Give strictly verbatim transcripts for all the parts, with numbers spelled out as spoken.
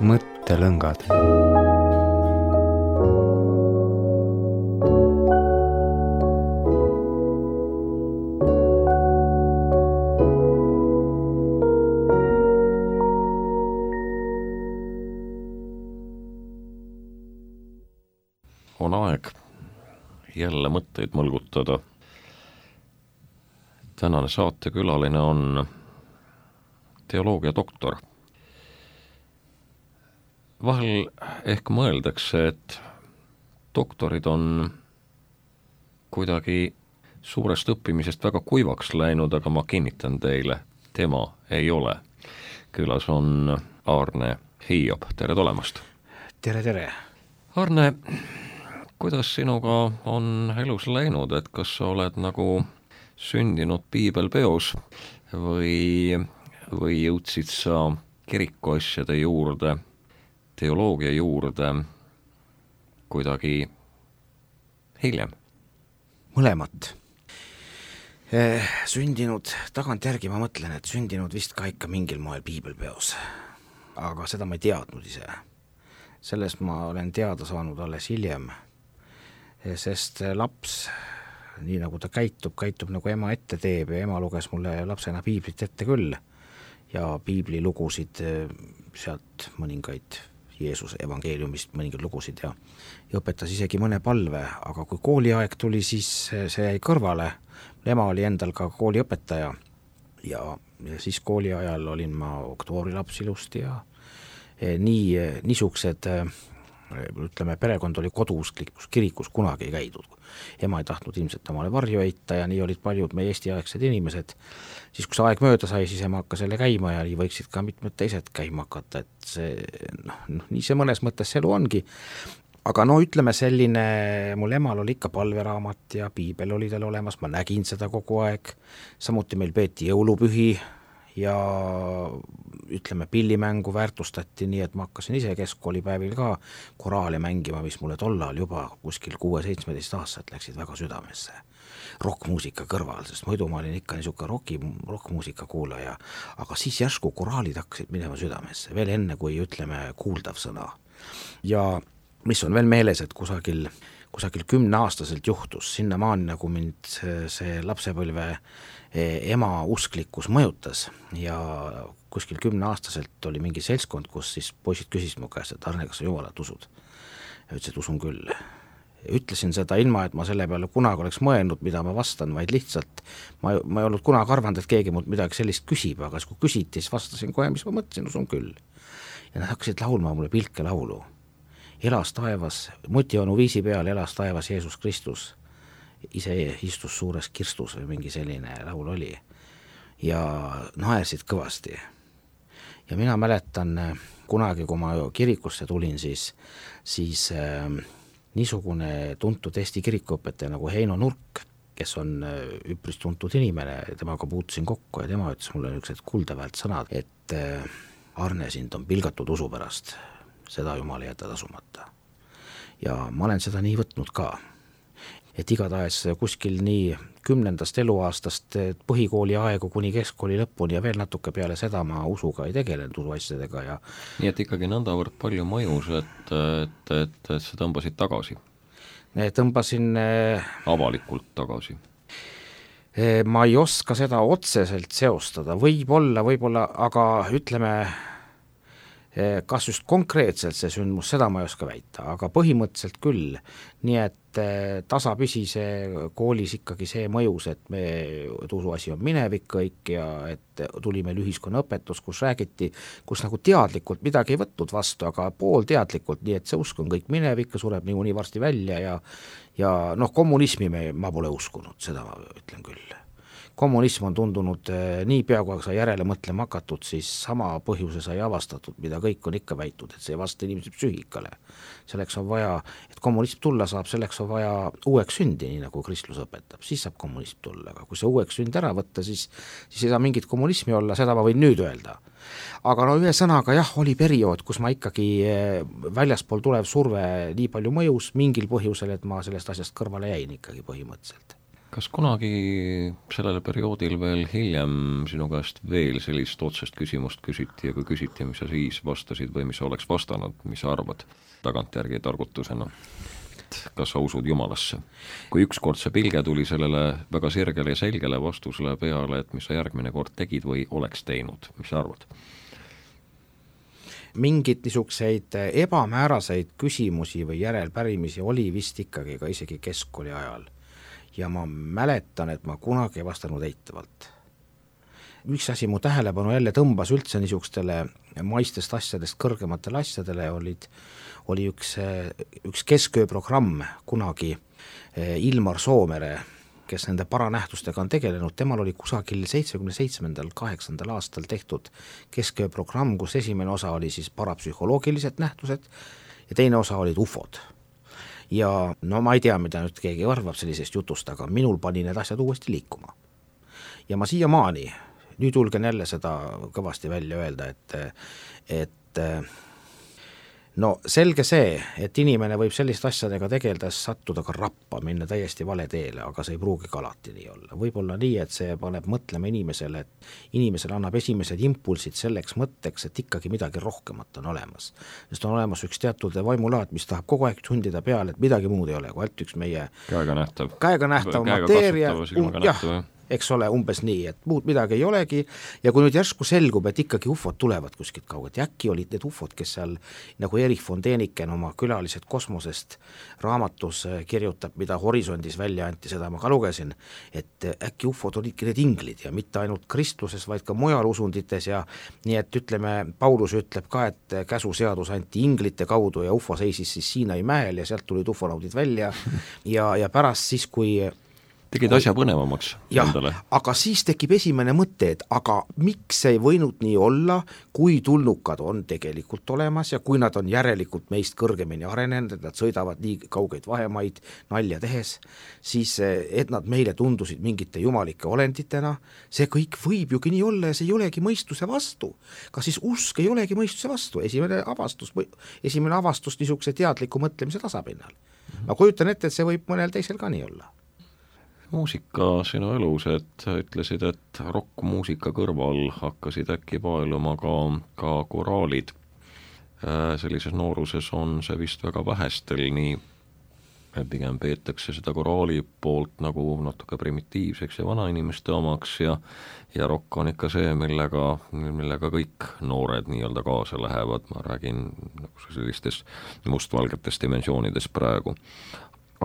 mõttelõngad. On aeg jälle mõtteid mõlgutada. Tänane saatekülaline on teoloogia doktor. Vahel ehk mõeldakse, et doktorid on kuidagi suurest õppimisest väga kuivaks läinud, aga ma kinnitan teile, tema ei ole. Külas on Aarne Hiob. Tere tulemast! Tere, tere! Aarne, kuidas sinuga on elus läinud, et kas sa oled nagu sündinud piibelpeos või, või jõudsid sa kirikuasjade juurde, teoloogia juurde kuidagi hiljem? Mõlemat. Eh, sündinud, tagantjärgi ma mõtlen, et sündinud vist ka ikka mingil moel piibelpeos. Aga seda ma ei teadnud ise. Sellest ma olen teada saanud alles hiljem, sest laps, nii nagu ta käitub, käitub nagu ema ette teeb ja ema luges mulle lapsena piiblit ette küll ja piibli lugusid sealt mõningaid Jeesuse evangeeliumist mõningaid lugusid ja, ja õpetas isegi mõne palve, aga kui kooliaeg tuli, siis see jäi kõrvale. Ema oli endal ka kooliõpetaja ja, ja siis kooli ajal olin ma oktoorilaps ilusti ja nii, niisugused ütleme, perekond oli koduusklikus kirikus kunagi ei käidud. Ema ei tahtnud ilmselt omale varju heita ja nii olid paljud meie eestiaegsed inimesed. Siis kui see aeg mööda sai, siis ema hakkas jälle käima ja nii võiksid ka mitmed teised käima hakata, et see, noh, noh, nii see mõnes mõttes see elu ongi. Aga no ütleme selline, mul emal oli ikka palveraamat ja piibel oli tal olemas, ma nägin seda kogu aeg. Samuti meil peeti jõulupühi ja ütleme, pillimängu väärtustati nii, et ma hakkasin ise keskkoolipäevil ka koraale mängima, mis mulle tollal juba kuskil kuue-seitsmeteist aastat läksid väga südamesse. Rockmuusika kõrval, sest muidu ma olin ikka niisugune rocki, rockmuusika kuulaja, aga siis järsku koraalid hakkasid minema südamesse, veel enne kui ütleme kuuldav sõna. Ja mis on veel meeles, et kusagil, kusagil kümneaastaselt juhtus, sinna maani nagu mind see lapsepõlve ema usklikkus mõjutas ja kuskil kümneaastaselt oli mingi seltskond, kus siis poisid küsisid mu käest, et Arne, kas sa Jumalat usud? Ja ütles, et usun küll. Ütlesin seda ilma, et ma selle peale kunagi oleks mõelnud, mida ma vastan, vaid lihtsalt ma, ma ei olnud kunagi arvanud, et keegi mult midagi sellist küsib, aga kui küsiti, siis vastasin kohe, mis ma mõtlesin, usun küll. Ja nad hakkasid laulma mulle pilke laulu. Elas taevas, mutionu viisi peal elas taevas Jeesus Kristus. Ise istus suures kirstus või mingi selline laul oli ja naersid kõvasti. Ja mina mäletan kunagi, kui ma kirikusse tulin, siis, siis äh, niisugune tuntud Eesti kirikuõpetaja nagu Heino Nurk, kes on üpris tuntud inimene, temaga puutusin kokku ja tema ütles mulle niisugused kuldaväärt sõnad, et äh, Arne, sind on pilgatud usu pärast, seda Jumal ei jäta tasumata. Ja ma olen seda nii võtnud ka. Et igatahes kuskil nii kümnendast eluaastast põhikooli aegu kuni keskkooli lõpuni ja veel natuke peale seda ma usuga ei tegelenud usuasjadega. Ja nii et ikkagi nõndavõrd palju mõjus, et, et, et, et sa tõmbasid tagasi? Tõmbasin avalikult tagasi? Ma ei oska seda otseselt seostada, võib-olla, võib-olla, aga ütleme, kas just konkreetselt see sündmus, seda ma ei oska väita, aga põhimõtteliselt küll, nii et tasapisi see koolis ikkagi see mõjus, et me usuasi on minevik kõik ja et tuli meil ühiskonnaõpetus, kus räägiti, kus nagu teadlikult midagi ei võtnud vastu, aga poolteadlikult, nii et see usk on kõik minevik ja sureb nii uni varsti välja ja, ja noh, kommunismi me, ma pole uskunud, seda ma ütlen küll. Kommunism on tundunud nii pea, kui sa järele mõtlema hakatud, siis sama põhjuse sai avastatud, mida kõik on ikka väitud, et see ei vasta inimese psüühikale. Selleks on vaja, et kommunism tulla saab, selleks on vaja uueks sündi, nii nagu kristlus õpetab, siis saab kommunism tulla, aga kui see uueks sünd ära võtta, siis, siis ei saa mingit kommunismi olla, seda ma võin nüüd öelda. Aga no ühe sõnaga jah, oli periood, kus ma ikkagi väljaspool tulev surve nii palju mõjus mingil põhjusel, et ma sellest asjast kõrvale jäin ikkagi põhimõtteliselt. kas kunagi sellel perioodil veel hiljem sinu käest veel sellist otsest küsimust küsiti ja kui küsiti, mis sa siis vastasid või mis sa oleks vastanud, mis sa arvad tagantjärgi targutusena? Kas sa usud Jumalasse? Kui ükskord see pilge tuli sellele väga sirgele ja selgele vastusele peale, et mis sa järgmine kord tegid või oleks teinud, mis sa arvad? Mingid niisuguseid ebamääraseid küsimusi või järelpärimisi oli vist ikkagi ka isegi keskkooli ajal. Ja ma mäletan, et ma kunagi ei vastanud eitavalt. Üks asi mu tähelepanu jälle tõmbas üldse niisugustele maistest asjadest kõrgematele asjadele, olid, oli üks, üks keskööprogramm kunagi Ilmar Soomere, kes nende paranähtustega on tegelenud, temal oli kusagil seitsmekümne seitsmendal, kaheksandal aastal tehtud keskööprogramm, kus esimene osa oli siis parapsühholoogilised nähtused ja teine osa olid ufod. Ja no ma ei tea, mida nüüd keegi arvab sellisest jutust, aga minul pani need asjad uuesti liikuma. Ja ma siiamaani, nüüd julgen jälle seda kõvasti välja öelda, et, et no selge see, et inimene võib sellist asjadega tegeldes sattuda ka rappa, minna täiesti vale teele, aga see ei pruugi ka alati nii olla. Võib-olla nii, et see paneb mõtlema inimesele, et inimesele annab esimesed impulsid selleks mõtteks, et ikkagi midagi rohkemat on olemas. Sest on olemas üks teatud vaimulaad, mis tahab kogu aeg tundida peale, et midagi muud ei ole, kui ainult üks meie käega nähtav, käega nähtav mateeria, jah, eks ole, umbes nii, et muud midagi ei olegi ja kui nüüd järsku selgub, et ikkagi ufod tulevad kuskilt kaugelt, ja äkki olid need ufod, kes seal nagu Erich von Däniken oma külalised kosmosest raamatus kirjutab, mida Horisondis välja anti, seda ma ka lugesin, et äkki ufod olidki need inglid ja mitte ainult kristluses, vaid ka mujal usundites ja nii, et ütleme, Paulus ütleb ka, et käsuseadus anti inglite kaudu ja ufo seisis siis Siinai mäel ja sealt tulid ufonaudid välja ja, ja pärast siis, kui tegid asja põnevamaks jah, endale. Aga siis tekib esimene mõte, et aga miks ei võinud nii olla, kui tulnukad on tegelikult olemas ja kui nad on järelikult meist kõrgemini arenenud, et nad sõidavad nii kaugeid vahemaid nalja tehes, siis et nad meile tundusid mingite jumalike olenditena, see kõik võib ju nii olla ja see ei olegi mõistuse vastu. Kas siis usk ei olegi mõistuse vastu? Esimene avastus, esimene avastus niisuguse teadliku mõtlemise tasapinnal. Ma kujutan ette, et see võib mõnel teisel ka nii olla. Muusika sinu elus, et ütlesid, et rockmuusika kõrval hakkasid äkki paeluma ka, ka koraalid. Sellises nooruses on see vist väga vähestel, nii pigem peetakse seda koraali poolt nagu natuke primitiivseks ja vanainimeste omaks ja, ja rock on ikka see, millega, millega kõik noored nii-öelda kaasa lähevad, ma räägin nagu sellistest mustvalgetest dimensioonidest praegu.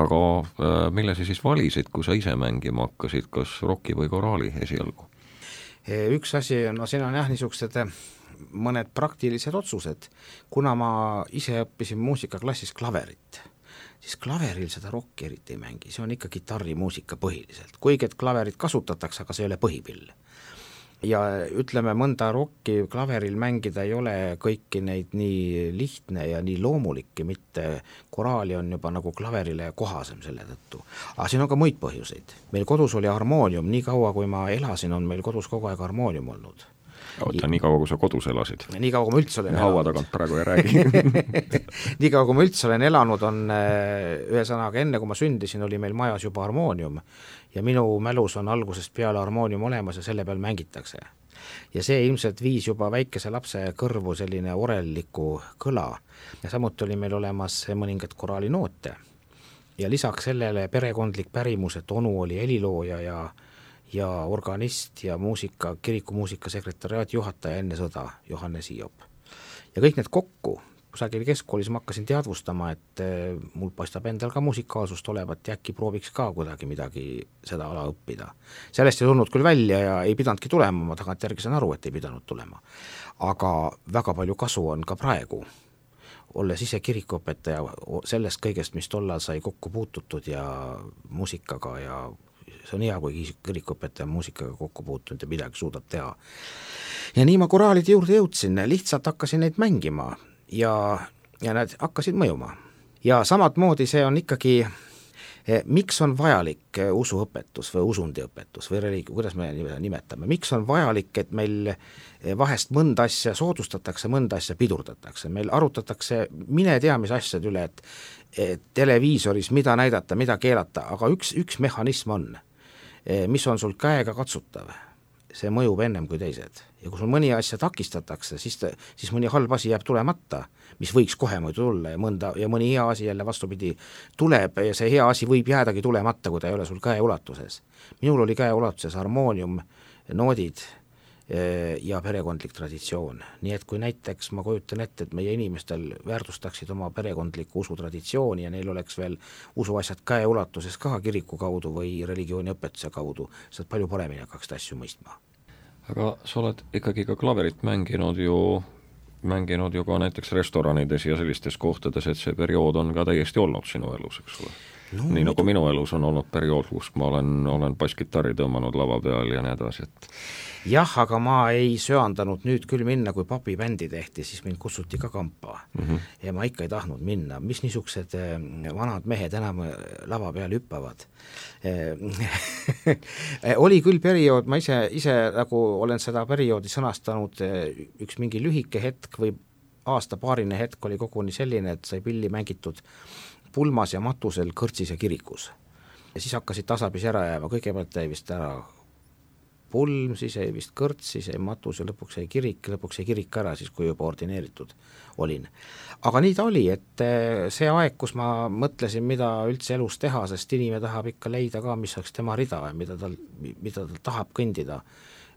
Aga mille sa siis valisid, kui sa ise mängima hakkasid, kas rocki või koraali esialgu? Üks asi, no siin on jah niisugused mõned praktilised otsused. Kuna ma ise õppisin muusikaklassis klaverit, siis klaveril seda rocki eriti ei mängi, see on ikka kitarrimuusika põhiliselt. Kuigi et klaverit kasutatakse, aga see ei ole põhipill. Ja ütleme, mõnda rocki klaveril mängida ei ole kõiki neid nii lihtne ja nii loomulikki, mitte koraali on juba nagu klaverile kohasem selle tõttu. Aga siin on ka muid põhjuseid. Meil kodus oli harmoonium, nii kaua kui ma elasin, on meil kodus kogu aeg harmoonium olnud. Oota, nii kaua kui sa kodus elasid? Nii kaua kui ma üldse olen elanud. Haua tagant praegu ei räägi. Nii kaua kui ma üldse olen elanud, on ühesõnaga enne kui ma sündisin, oli meil majas juba harmoonium ja minu mälus on algusest peale harmoonium olemas ja selle peal mängitakse. Ja see ilmselt viis juba väikese lapse kõrvu selline orelliku kõla ja samuti oli meil olemas mõningad koraalinoote ja lisaks sellele perekondlik pärimus, et onu oli helilooja ja ja organist ja muusika, kirikumuusika sekretariaadi juhataja enne sõda, Johannes Hiop. Ja kõik need kokku, kusagil keskkoolis ma hakkasin teadvustama, et mul paistab endal ka muusikaalsust olevat ja äkki prooviks ka kuidagi midagi seda ala õppida. Sellest ei tulnud küll välja ja ei pidanudki tulema, ma tagantjärgi saan aru, et ei pidanud tulema. Aga väga palju kasu on ka praegu, olles ise kirikuõpetaja sellest kõigest, mis tollal sai kokku puututud ja muusikaga ja see on hea, kui kirikuõpetaja muusikaga kokku puutunud ja midagi suudab teha. Ja nii ma koraalide juurde jõudsin, lihtsalt hakkasin neid mängima ja, ja nad hakkasid mõjuma. Ja samad moodi see on ikkagi, miks on vajalik usuõpetus või usundiõpetus või religi, kuidas me nimetame, miks on vajalik, et meil vahest mõnda asja soodustatakse, mõnda asja pidurdatakse, meil arutatakse mine tea mis asjad üle, et, et televiisoris mida näidata, mida keelata, aga üks, üks mehhanism on. mis on sul käega katsutav, see mõjub ennem kui teised. Ja kui sul mõni asja takistatakse, siis, ta, siis mõni halb asi jääb tulemata, mis võiks kohe muidu tulla ja, mõnda, ja mõni hea asi jälle vastupidi tuleb ja see hea asi võib jäädagi tulemata, kui ta ei ole sul käe ulatuses. Minul oli käe ulatuses harmoonium, noodid ja perekondlik traditsioon. Nii et kui näiteks ma kujutan ette, et meie inimestel väärtustaksid oma perekondliku usutraditsiooni ja neil oleks veel usuasjad käe ulatuses ka kiriku kaudu või religiooni õpetuse kaudu, saad palju paremini hakkaks asju mõistma. Aga sa oled ikkagi ka klaverit mänginud ju, mänginud ju ka näiteks restoranides ja sellistes kohtades, et see periood on ka täiesti olnud sinu elus, eks ole? No, nii nagu minu elus on olnud periood, kus ma olen, olen basskitarri tõmmanud lava peal ja nii edasi, et jah, aga ma ei söandanud nüüd küll minna, kui papibändi tehti, siis mind kutsuti ka kampa mm -hmm. ja ma ikka ei tahtnud minna, mis niisugused vanad mehed enam lava peal hüppavad. Oli küll periood, ma ise, ise nagu olen seda perioodi sõnastanud, üks mingi lühike hetk või aasta-paarine hetk oli koguni selline, et sai pilli mängitud pulmas ja matusel kõrtsis ja kirikus. Ja siis hakkasid tasapisi ära jääma, kõigepealt jäi vist ära pulm, siis jäi vist kõrts, siis jäi matus ja lõpuks jäi kirik, lõpuks jäi kirik ära, siis kui juba ordineeritud olin. Aga nii ta oli, et see aeg, kus ma mõtlesin, mida üldse elus teha, sest inimene tahab ikka leida ka, mis oleks tema rida, mida tal, mida tal tahab kõndida.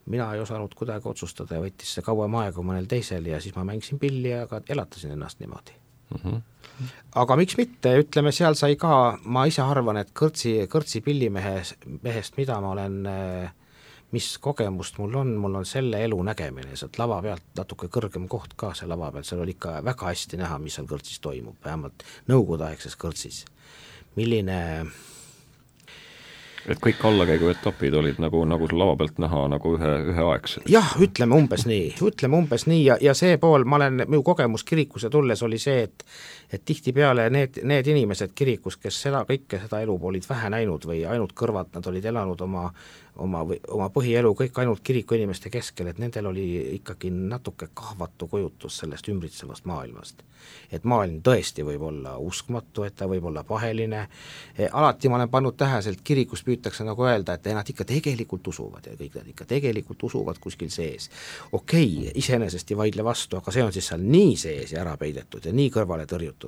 Mina ei osanud kuidagi otsustada ja võttis see kauem aega mõnel teisel ja siis ma mängisin pilli ja ka elatasin ennast niimoodi. Mm-hmm. Aga miks mitte, ütleme, seal sai ka, ma ise arvan, et kõrtsi, kõrtsi pillimehest, mehest, mida ma olen, mis kogemust mul on, mul on selle elu nägemine, sealt lava pealt natuke kõrgem koht ka see lava pealt, seal oli ikka väga hästi näha, mis seal kõrtsis toimub, vähemalt nõukogudeaegses kõrtsis. Milline et kõik allakäigu etapid olid nagu, nagu lava pealt näha nagu ühe, üheaegselt. Jah, ütleme umbes nii, ütleme umbes nii ja, ja see pool, ma olen, minu kogemus kirikuse tulles oli see, et et tihtipeale need, need inimesed kirikus, kes seda kõike, seda elu olid vähe näinud või ainult kõrvalt, nad olid elanud oma, oma, oma põhielu kõik ainult kiriku inimeste keskel, et nendel oli ikkagi natuke kahvatu kujutus sellest ümbritsevast maailmast. Et maailm tõesti võib olla uskmatu, et ta võib olla paheline, alati ma olen pannud täheselt, kirikus püütakse nagu öelda, et nad ikka tegelikult usuvad ja kõik nad ikka tegelikult usuvad kuskil sees. Okei, okay, iseenesest ei vaidle vastu, aga see on siis seal nii sees ja ära peidetud ja nii kõrvale tõrjutud,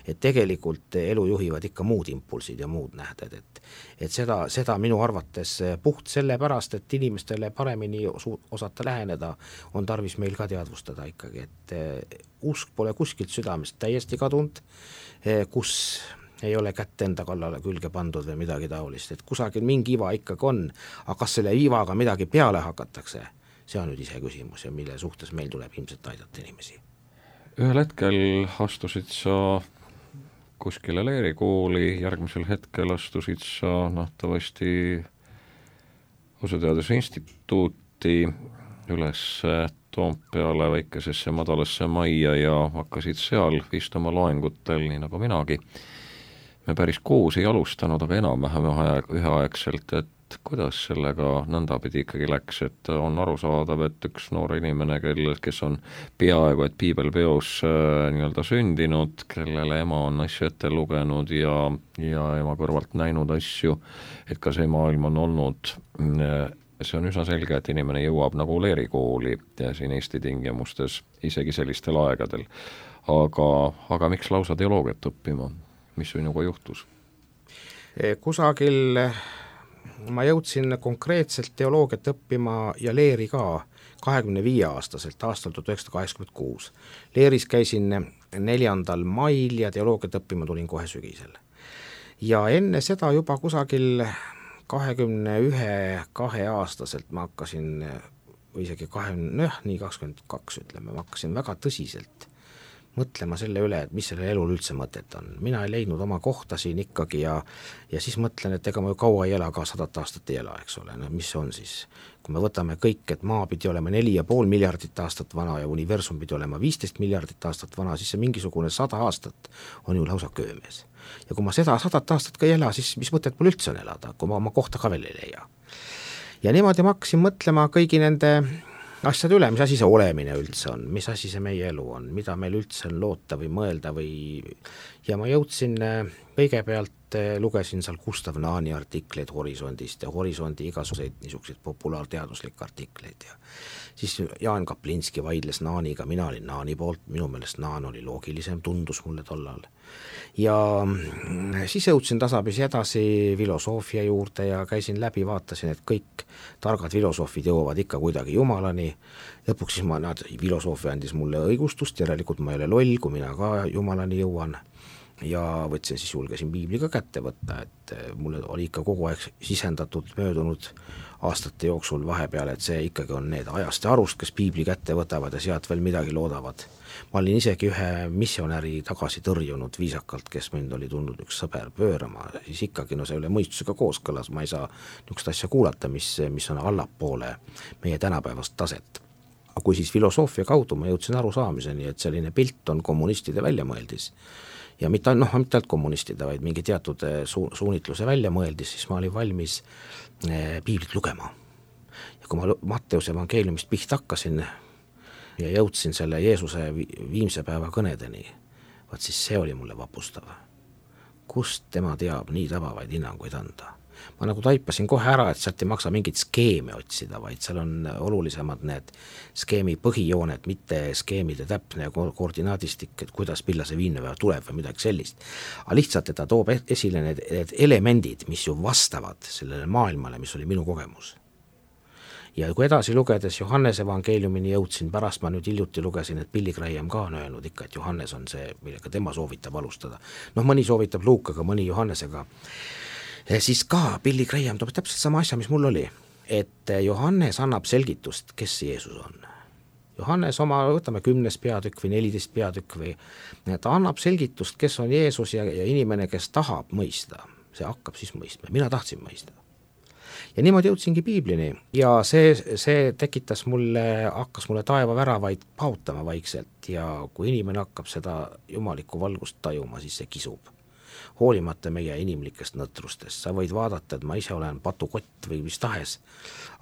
et tegelikult elu juhivad ikka muud impulsid ja muud nähded, et, et seda, seda minu arvates puht sellepärast, et inimestele paremini osata läheneda, on tarvis meil ka teadvustada ikkagi, et usk pole kuskilt südamest täiesti kadunud, kus ei ole kätt enda kallale külge pandud või midagi taolist, et kusagil mingi iva ikkagi on, aga kas selle ivaga midagi peale hakatakse, see on nüüd ise küsimus ja mille suhtes meil tuleb ilmselt aidata inimesi. Ühel hetkel astusid sa kuskile leerikooli, järgmisel hetkel astusid sa nähtavasti usuteaduse instituuti üles Toompeale väikesesse madalasse majja ja hakkasid seal istuma loengutel, nii nagu minagi. Me päris koos ei alustanud, aga enam-vähem üheaegselt, et kuidas sellega nõndapidi ikkagi läks, et on arusaadav, et üks noor inimene, kelle, kes on peaaegu et piibelpeos äh, nii-öelda sündinud, kellele ema on asju ette lugenud ja, ja ema kõrvalt näinud asju, et ka see maailm on olnud, see on üsna selge, et inimene jõuab nagu leerikooli ja siin Eesti tingimustes isegi sellistel aegadel. Aga, aga miks lausa teoloogiat õppima? Mis sinuga juhtus? Kusagil ma jõudsin konkreetselt teoloogiat õppima ja leeri ka kahekümne viie aastaselt aastal tuhat üheksasada kaheksakümmend kuus. Leeris käisin neljandal mail ja teoloogiat õppima tulin kohe sügisel. Ja enne seda juba kusagil kahekümne ühe, kahe aastaselt ma hakkasin, või isegi kahekümne, nii kakskümmend kaks ütleme, ma hakkasin väga tõsiselt mõtlema selle üle, et mis selle elul üldse mõtet on. Mina ei leidnud oma kohta siin ikkagi ja, ja siis mõtlen, et ega ma ju kaua ei ela, ka sadat aastat ei ela, eks ole, no mis on siis? Kui me võtame kõik, et maa pidi olema neli ja pool miljardit aastat vana ja universum pidi olema viisteist miljardit aastat vana, siis see mingisugune sada aastat on ju lausa köömes. Ja kui ma seda sadat aastat ka ei ela, siis mis mõtet mul üldse on elada, kui ma oma kohta ka veel ei leia. Ja niimoodi ma hakkasin mõtlema kõigi nende asjad üle, mis asi see olemine üldse on, mis asi see meie elu on, mida meil üldse on loota või mõelda või ja ma jõudsin kõigepealt, lugesin seal Gustav Naani artikleid Horisondist ja Horisondi igasuguseid niisuguseid populaarteaduslikke artikleid ja siis Jaan Kaplinski vaidles Naaniga, mina olin Naani poolt, minu meelest Naan oli loogilisem, tundus mulle tollal. Ja siis jõudsin tasapisi edasi filosoofia juurde ja käisin läbi, vaatasin, et kõik targad filosoofid jõuavad ikka kuidagi jumalani, lõpuks siis ma, nad, filosoofia andis mulle õigustust, järelikult ma ei ole loll, kui mina ka jumalani jõuan. Ja võtsin siis, julgesin piibliga kätte võtta, et mulle oli ikka kogu aeg sisendatud möödunud aastate jooksul vahepeal, et see ikkagi on need ajast ja arust, kes piibli kätte võtavad ja sealt veel midagi loodavad. Ma olin isegi ühe missionäri tagasi tõrjunud viisakalt, kes mind oli tulnud üks sõber pöörama, siis ikkagi no see üle mõistusega kooskõlas, ma ei saa niisugust asja kuulata, mis, mis on allapoole meie tänapäevast taset. Aga kui siis filosoofia kaudu ma jõudsin arusaamiseni, et selline pilt on kommunistide väljamõeldis, ja mitte, noh, mitte ainult kommunistide, vaid mingi teatud su, suunitluse välja mõeldis, siis ma olin valmis eh, piiblit lugema. Ja kui ma Matteuse evangeeliumist pihta hakkasin ja jõudsin selle Jeesuse viimse päeva kõnedeni, vaat siis see oli mulle vapustav. Kust tema teab nii tabavaid hinnanguid anda? Ma nagu taipasin kohe ära, et sealt ei maksa mingit skeemi otsida, vaid seal on olulisemad need skeemi põhijooned, mitte skeemide täpne koordinaadistik, et kuidas pilla see viimne päev tuleb või midagi sellist. Aga lihtsalt, et ta toob esile need, need elemendid, mis ju vastavad sellele maailmale, mis oli minu kogemus. Ja kui edasi lugedes Johannese evangeeliumini jõudsin, pärast ma nüüd hiljuti lugesin, et Billy Graham ka on öelnud ikka, et Johannes on see, millega tema soovitab alustada. Noh, mõni soovitab Luukaga, mõni Johannesega. Ja siis ka Billy Graham toob täpselt sama asja, mis mul oli, et Johannes annab selgitust, kes Jeesus on. Johannes oma, võtame kümnes peatükk või neliteist peatükk või ta annab selgitust, kes on Jeesus ja, ja inimene, kes tahab mõista, see hakkab siis mõistma. Mina tahtsin mõista. Ja niimoodi jõudsingi piiblini ja see, see tekitas mulle, hakkas mulle taeva väravaid pautama vaikselt ja kui inimene hakkab seda jumalikku valgust tajuma, siis see kisub. Hoolimata meie inimlikest nõtrustest, sa võid vaadata, et ma ise olen patukott või mis tahes,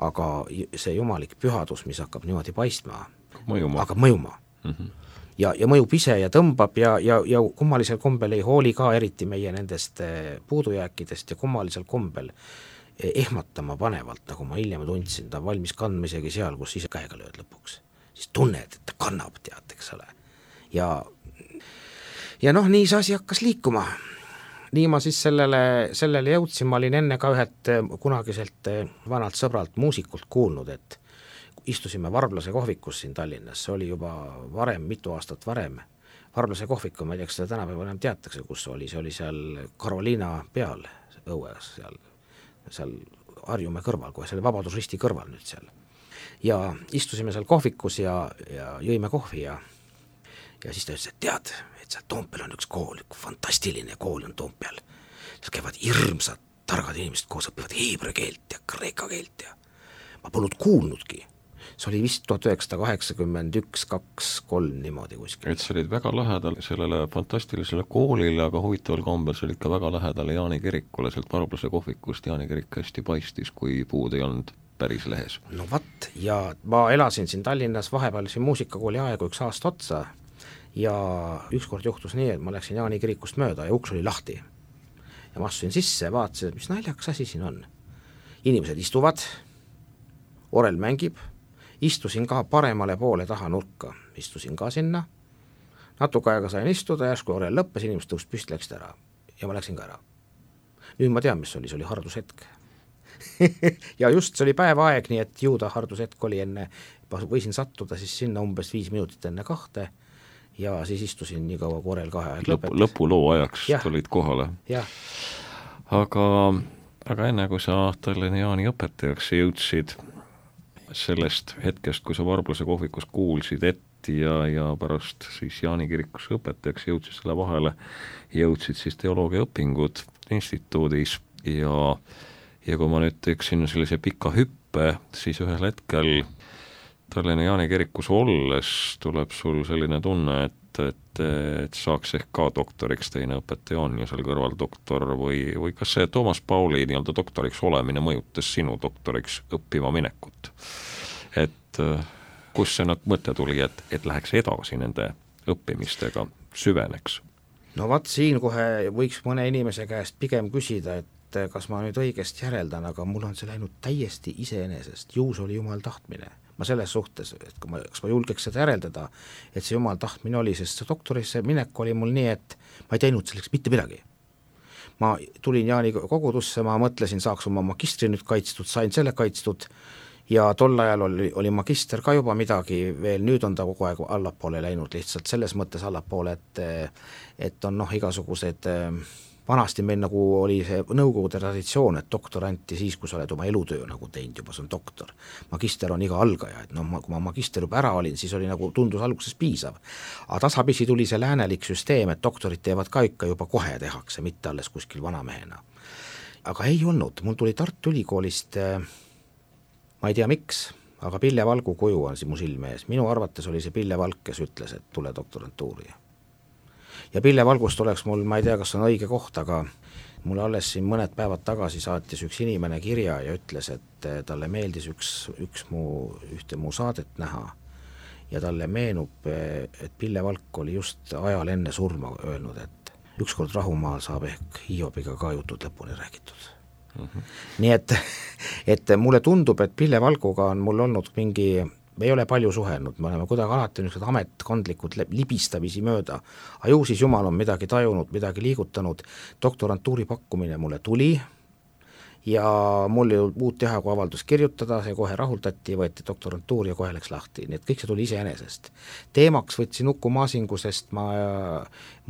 aga see jumalik pühadus, mis hakkab niimoodi paistma, mõjuma. hakkab mõjuma. Mm-hmm. Ja, ja mõjub ise ja tõmbab ja, ja, ja kummalisel kombel ei hooli ka eriti meie nendest puudujääkidest ja kummalisel kombel ehmatama panevalt, nagu ma hiljem tundsin, ta on valmis kandma isegi seal, kus ise käega lööd lõpuks. Siis tunned, et ta kannab, tead, eks ole. Ja, ja noh, nii see asi hakkas liikuma. Nii ma siis sellele, sellele jõudsin, ma olin enne ka ühed kunagiselt vanalt sõbralt muusikult kuulnud, et istusime Varblase kohvikus siin Tallinnas, see oli juba varem, mitu aastat varem. Varblase kohviku, ma ei tea, kas seda tänapäeval enam teatakse, kus oli, see oli seal Karoliina peal õues, seal seal Harjumäe kõrval, kohe selle Vabadusristi kõrval nüüd seal. Ja istusime seal kohvikus ja, ja jõime kohvi ja, ja siis ta ütles, et tead, et seal Toompeal on üks kool, üks fantastiline kool on Toompeal. Seal käivad hirmsad, targad inimesed koos, õpivad heebra keelt ja kreeka keelt ja ma polnud kuulnudki. See oli vist tuhat üheksasada kaheksakümmend üks, kaks, kolm niimoodi kuskil. Et sa olid väga lähedal sellele fantastilisele koolile, aga huvitaval kombel sa olid ka väga lähedale Jaani kirikule, sealt Varblase kohvikust Jaani kirik hästi paistis, kui puud ei olnud päris lehes. No vat, ja ma elasin siin Tallinnas vahepeal siin muusikakooli aegu üks aasta otsa ja ükskord juhtus nii, et ma läksin Jaani kirikust mööda ja uks oli lahti. Ja ma astusin sisse ja vaatasin, mis naljakas asi siin on. Inimesed istuvad, orel mängib, istusin ka paremale poole taha nurka, istusin ka sinna, natuke aega sain istuda, järsku orel lõppes, inimesed tõust püst läksid ära ja ma läksin ka ära. Nüüd ma tean, mis oli, see oli hardushetk. Ja just see oli päevaaeg, nii et jõuda hardushetk oli enne, võisin sattuda siis sinna umbes viis minutit enne kahte ja siis istusin nii kaua, kui orel kahe aeg lõpetas. Lõpuloo ajaks ja. Tulid kohale. Ja. Aga, aga enne kui sa Tallinna Jaani õpetajaks jõudsid, sellest hetkest, kui sa Varblase kohvikus kuulsid et ja, ja pärast siis Jaani kirikus õpetajaks jõudsid selle vahele, jõudsid siis teoloogia õpingud instituudis ja, ja kui ma nüüd teeksin sellise pika hüppe, siis ühel hetkel Tallinna Jaani kirikus olles tuleb sul selline tunne, et, et, et saaks ehk ka doktoriks, teine õpetaja on ju seal kõrval doktor või, või kas see Toomas Pauli nii-öelda doktoriks olemine mõjutas sinu doktoriks õppima minekut? Et kus see mõte tuli, et, et läheks edasi nende õppimistega, süveneks? no vaat siin kohe võiks mõne inimese käest pigem küsida, et kas ma nüüd õigesti järeldan, aga mul on see läinud täiesti iseenesest, ju see oli jumal tahtmine. Ma selles suhtes, et kui ma, kas ma julgeks seda järeldada, et see jumal tahtmine oli, sest see doktorisse minek oli mul nii, et ma ei teinud selleks mitte midagi. Ma tulin Jaani kogudusse, ma mõtlesin, saaks oma magistri nüüd kaitstud, sain selle kaitstud ja tol ajal oli, oli magister ka juba midagi veel, nüüd on ta kogu aeg allapoole läinud, lihtsalt selles mõttes allapoole, et et on noh, igasugused, vanasti meil nagu oli see nõukogude traditsioon, et doktor anti siis, kui sa oled oma elutöö nagu teinud juba, see on doktor. Magister on iga algaja, et noh, kui ma magister juba ära olin, siis oli nagu tundus alguses piisav. Aga tasapisi tuli see läänelik süsteem, et doktorid teevad ka ikka juba kohe tehakse, mitte alles kuskil vanamehena. Aga ei olnud, mul tuli Tartu Ülikoolist, ma ei tea miks, aga Pille Valgu kuju on siin mu silme ees. Minu arvates oli see Pille Valk, kes ütles, et tule doktorantuuri. Ja Pille Valgust oleks mul, ma ei tea, kas on õige koht, aga mulle alles siin mõned päevad tagasi saatis üks inimene kirja ja ütles, et talle meeldis üks, üks mu, ühte mu saadet näha ja talle meenub, et Pille Valk oli just ajal enne surma öelnud, et ükskord Rahumaal saab ehk Hiobiga ka jutud lõpuni räägitud. Mm-hmm. Nii et, et mulle tundub, et Pille Valguga on mul olnud mingi, me ei ole palju suhelnud, me oleme kuidagi alati niisugused ametkondlikud libistamisi mööda, aga ju siis jumal on midagi tajunud, midagi liigutanud, doktorantuuri pakkumine mulle tuli ja mul ei olnud muud teha, kui avaldus kirjutada, see kohe rahuldati, võeti doktorantuur ja kohe läks lahti, nii et kõik see tuli iseenesest. Teemaks võtsin Uku Maasingu, sest ma,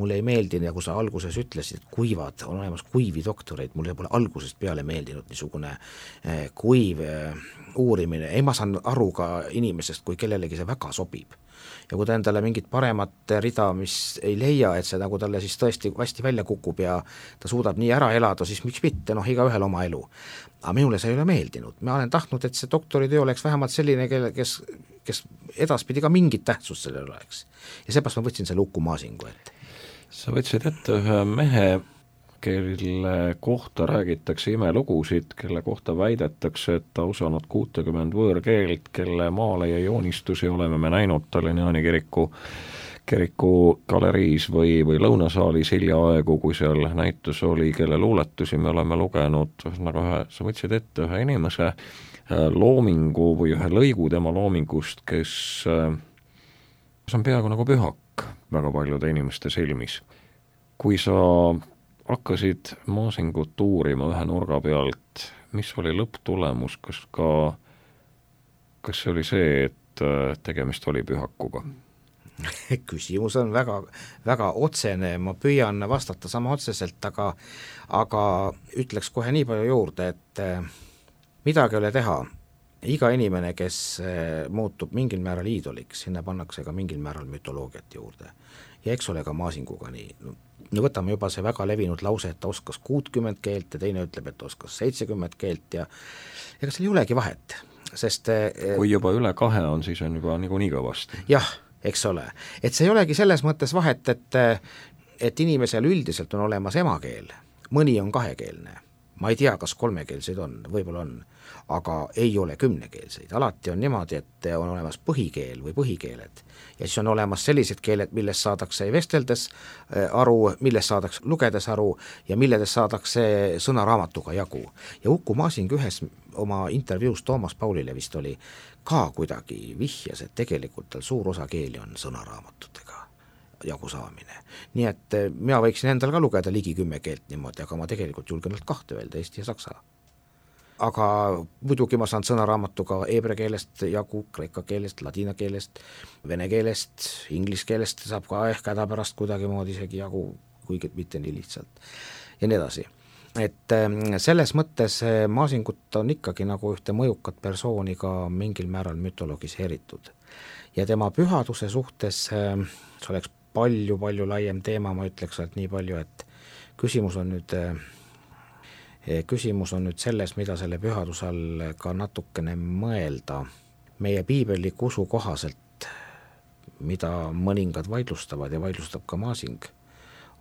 mulle ei meeldi, nagu sa alguses ütlesid, kuivad, on olemas kuivi doktoreid, mulle pole algusest peale meeldinud niisugune kuiv uurimine, ei ma saan aru ka inimesest, kui kellelegi see väga sobib. Ja kui ta endale mingit paremat rida, mis ei leia, et see nagu talle siis tõesti hästi välja kukub ja ta suudab nii ära elada, siis miks mitte, noh, iga ühel oma elu. Aga minule see ei ole meeldinud. Ma olen tahtnud, et see doktoritöö oleks vähemalt selline, kes, kes edaspidi ka mingit tähtsust sellel oleks. Ja seepärast ma võtsin selle Uku Maasingu ette. Sa võtsid ette ühe mehe, kelle kohta räägitakse imelugusid, kelle kohta väidetakse, et ta osanud kuutekümmend võõrkeelt, kelle maale ja joonistusi oleme me näinud Tallinna Jaani kiriku, kiriku galeriis või, või lõunasaalis hiljaaegu, kui seal näitus oli, kelle luuletusi me oleme lugenud, nagu ühe, sa võtsid ette ühe inimese loomingu või ühe lõigu tema loomingust, kes, kes on peaaegu nagu pühak väga paljude inimeste silmis. Kui sa hakkasid Maasingut uurima ühe nurga pealt, mis oli lõpptulemus, kas ka, kas see oli see, et tegemist oli pühakuga? Küsimus on väga, väga otsene, ma püüan vastata sama otseselt, aga, aga ütleks kohe nii palju juurde, et midagi ei ole teha. Iga inimene, kes muutub mingil määral iidoliks, sinna pannakse ka mingil määral mütoloogiat juurde. Ja eks ole ka Maasinguga nii. No võtame juba see väga levinud lause, et ta oskas kuutkümmend keelt ja teine ütleb, et oskas seitsekümmend keelt ja ega seal ei olegi vahet, sest kui juba üle kahe on, siis on juba nagu nii kõvasti. Jah, eks ole. Et see ei olegi selles mõttes vahet, et, et inimesel üldiselt on olemas emakeel, mõni on kahekeelne. Ma ei tea, kas kolmekeelseid on, võib-olla on, aga ei ole kümnekeelseid. Alati on niimoodi, et on olemas põhikeel või põhikeeled ja siis on olemas sellised keeled, millest saadakse vesteldes aru, millest saadakse lugedes aru ja milledest saadakse sõnaraamatuga jagu. Ja Uku Maasing ühes oma intervjuus Toomas Paulile vist oli ka kuidagi vihjas, et tegelikult tal suur osa keeli on sõnaraamatutega jagu saamine. Nii et mina võiksin endal ka lugeda ligi kümme keelt niimoodi, aga ma tegelikult julgen nad kahte öelda, eesti ja saksa. Aga muidugi ma saan sõnaraamatuga eebra keelest jagu, kreeka keelest, ladina keelest, vene keelest, inglis keelest saab ka ehk häda pärast kuidagi moodi isegi jagu, kuigi mitte nii lihtsalt. Ja nii edasi. Et selles mõttes Maasingut on ikkagi nagu ühte mõjukat persooni ka mingil määral mütologiseeritud. Ja tema pühaduse suhtes see oleks palju-palju laiem teema, ma ütleks et nii palju, et küsimus on nüüd küsimus on nüüd selles, mida selle pühaduse all ka natukene mõelda. Meie piibellik usu kohaselt, mida mõningad vaidlustavad ja vaidlustab ka Maasing,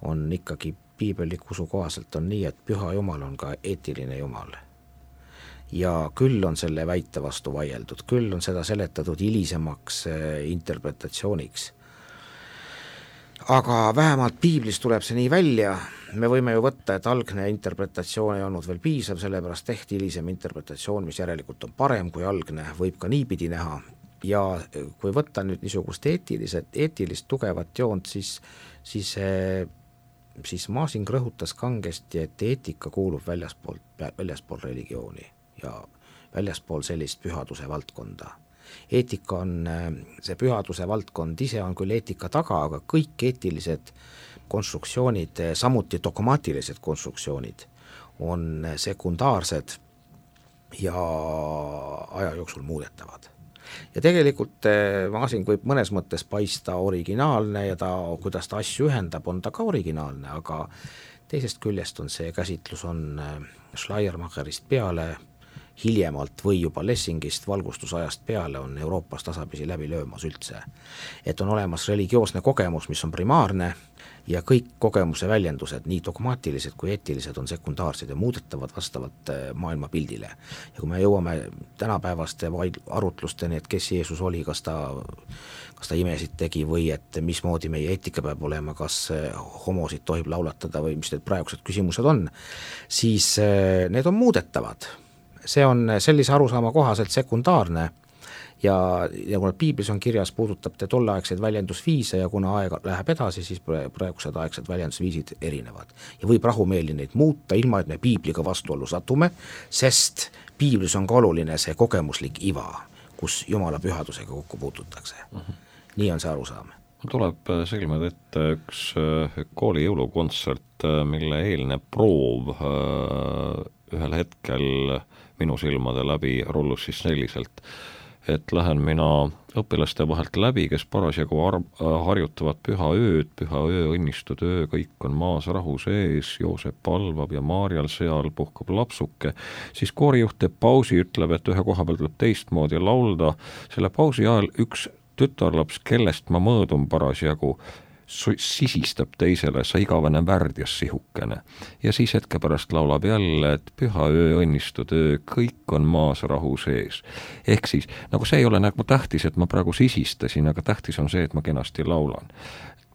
on ikkagi piibellik usu kohaselt on nii, et püha Jumal on ka eetiline Jumal. Ja küll on selle väite vastu vaieldud, küll on seda seletatud hilisemaks interpretatsiooniks. aga vähemalt piiblist tuleb see nii välja, me võime ju võtta, et algne interpretatsioon ei olnud veel piisav, sellepärast tehti hilisem interpretatsioon, mis järelikult on parem kui algne, võib ka niipidi näha, ja kui võtta nüüd niisugust eetilised, eetilist tugevat joont, siis, siis, siis Masing rõhutas kangesti, et eetika kuulub väljaspool, väljaspool religiooni ja väljaspool sellist pühaduse valdkonda. Eetika on, see pühaduse valdkond ise on küll eetika taga, aga kõik eetilised konstruktsioonid, samuti dogmaatilised konstruktsioonid on sekundaarsed ja aja jooksul muudetavad. Ja tegelikult Masing võib mõnes mõttes paista originaalne ja ta, kuidas ta asju ühendab, on ta ka originaalne, aga teisest küljest on see käsitlus on Schleiermacherist peale, hiljemalt või juba Lessingist valgustusajast peale on Euroopas tasapisi läbi löömas üldse. Et on olemas religioosne kogemus, mis on primaarne ja kõik kogemuse väljendused, nii dogmaatilised kui eetilised, on sekundaarsed ja muudetavad vastavalt maailma pildile. Ja kui me jõuame tänapäevaste arutlusteni, et kes Jeesus oli, kas ta, kas ta imesid tegi või et mismoodi meie eetika peab olema, kas homosid tohib laulatada või mis need praegused küsimused on, siis need on muudetavad. See on sellise arusaama kohaselt sekundaarne ja, ja kuna piiblis on kirjas, puudutab te tolleaegseid väljendusviise ja kuna aeg läheb edasi, siis praegused aegsed väljendusviisid erinevad. Ja võib rahumeeli neid muuta, ilma et me piibliga vastuollu satume, sest piiblis on ka oluline see kogemuslik iva, kus Jumala pühadusega kokku puututakse. Uh-huh. Nii on see arusaam. Tuleb silmad ette üks kooli jõulukontsert, mille eelne proov ühel hetkel minu silmade läbi rullus siis selliselt, et lähen mina õpilaste vahelt läbi, kes parasjagu ar- harjutavad püha ööd, püha öö, õnnistud öö, kõik on maas rahu sees, Joosep palvab ja Maarjal seal puhkab lapsuke, siis koorijuht teeb pausi, ütleb, et ühe koha peal tuleb teistmoodi laulda, selle pausi ajal üks tütarlaps, kellest ma mõõdun parasjagu, sisistab teisele, sa igavene värdjas sihukene. Ja siis hetke pärast laulab jälle, et püha öö, õnnistud öö, kõik on maas rahu sees. Ehk siis, nagu see ei ole nagu tähtis, et ma praegu sisistasin, aga tähtis on see, et ma kenasti laulan.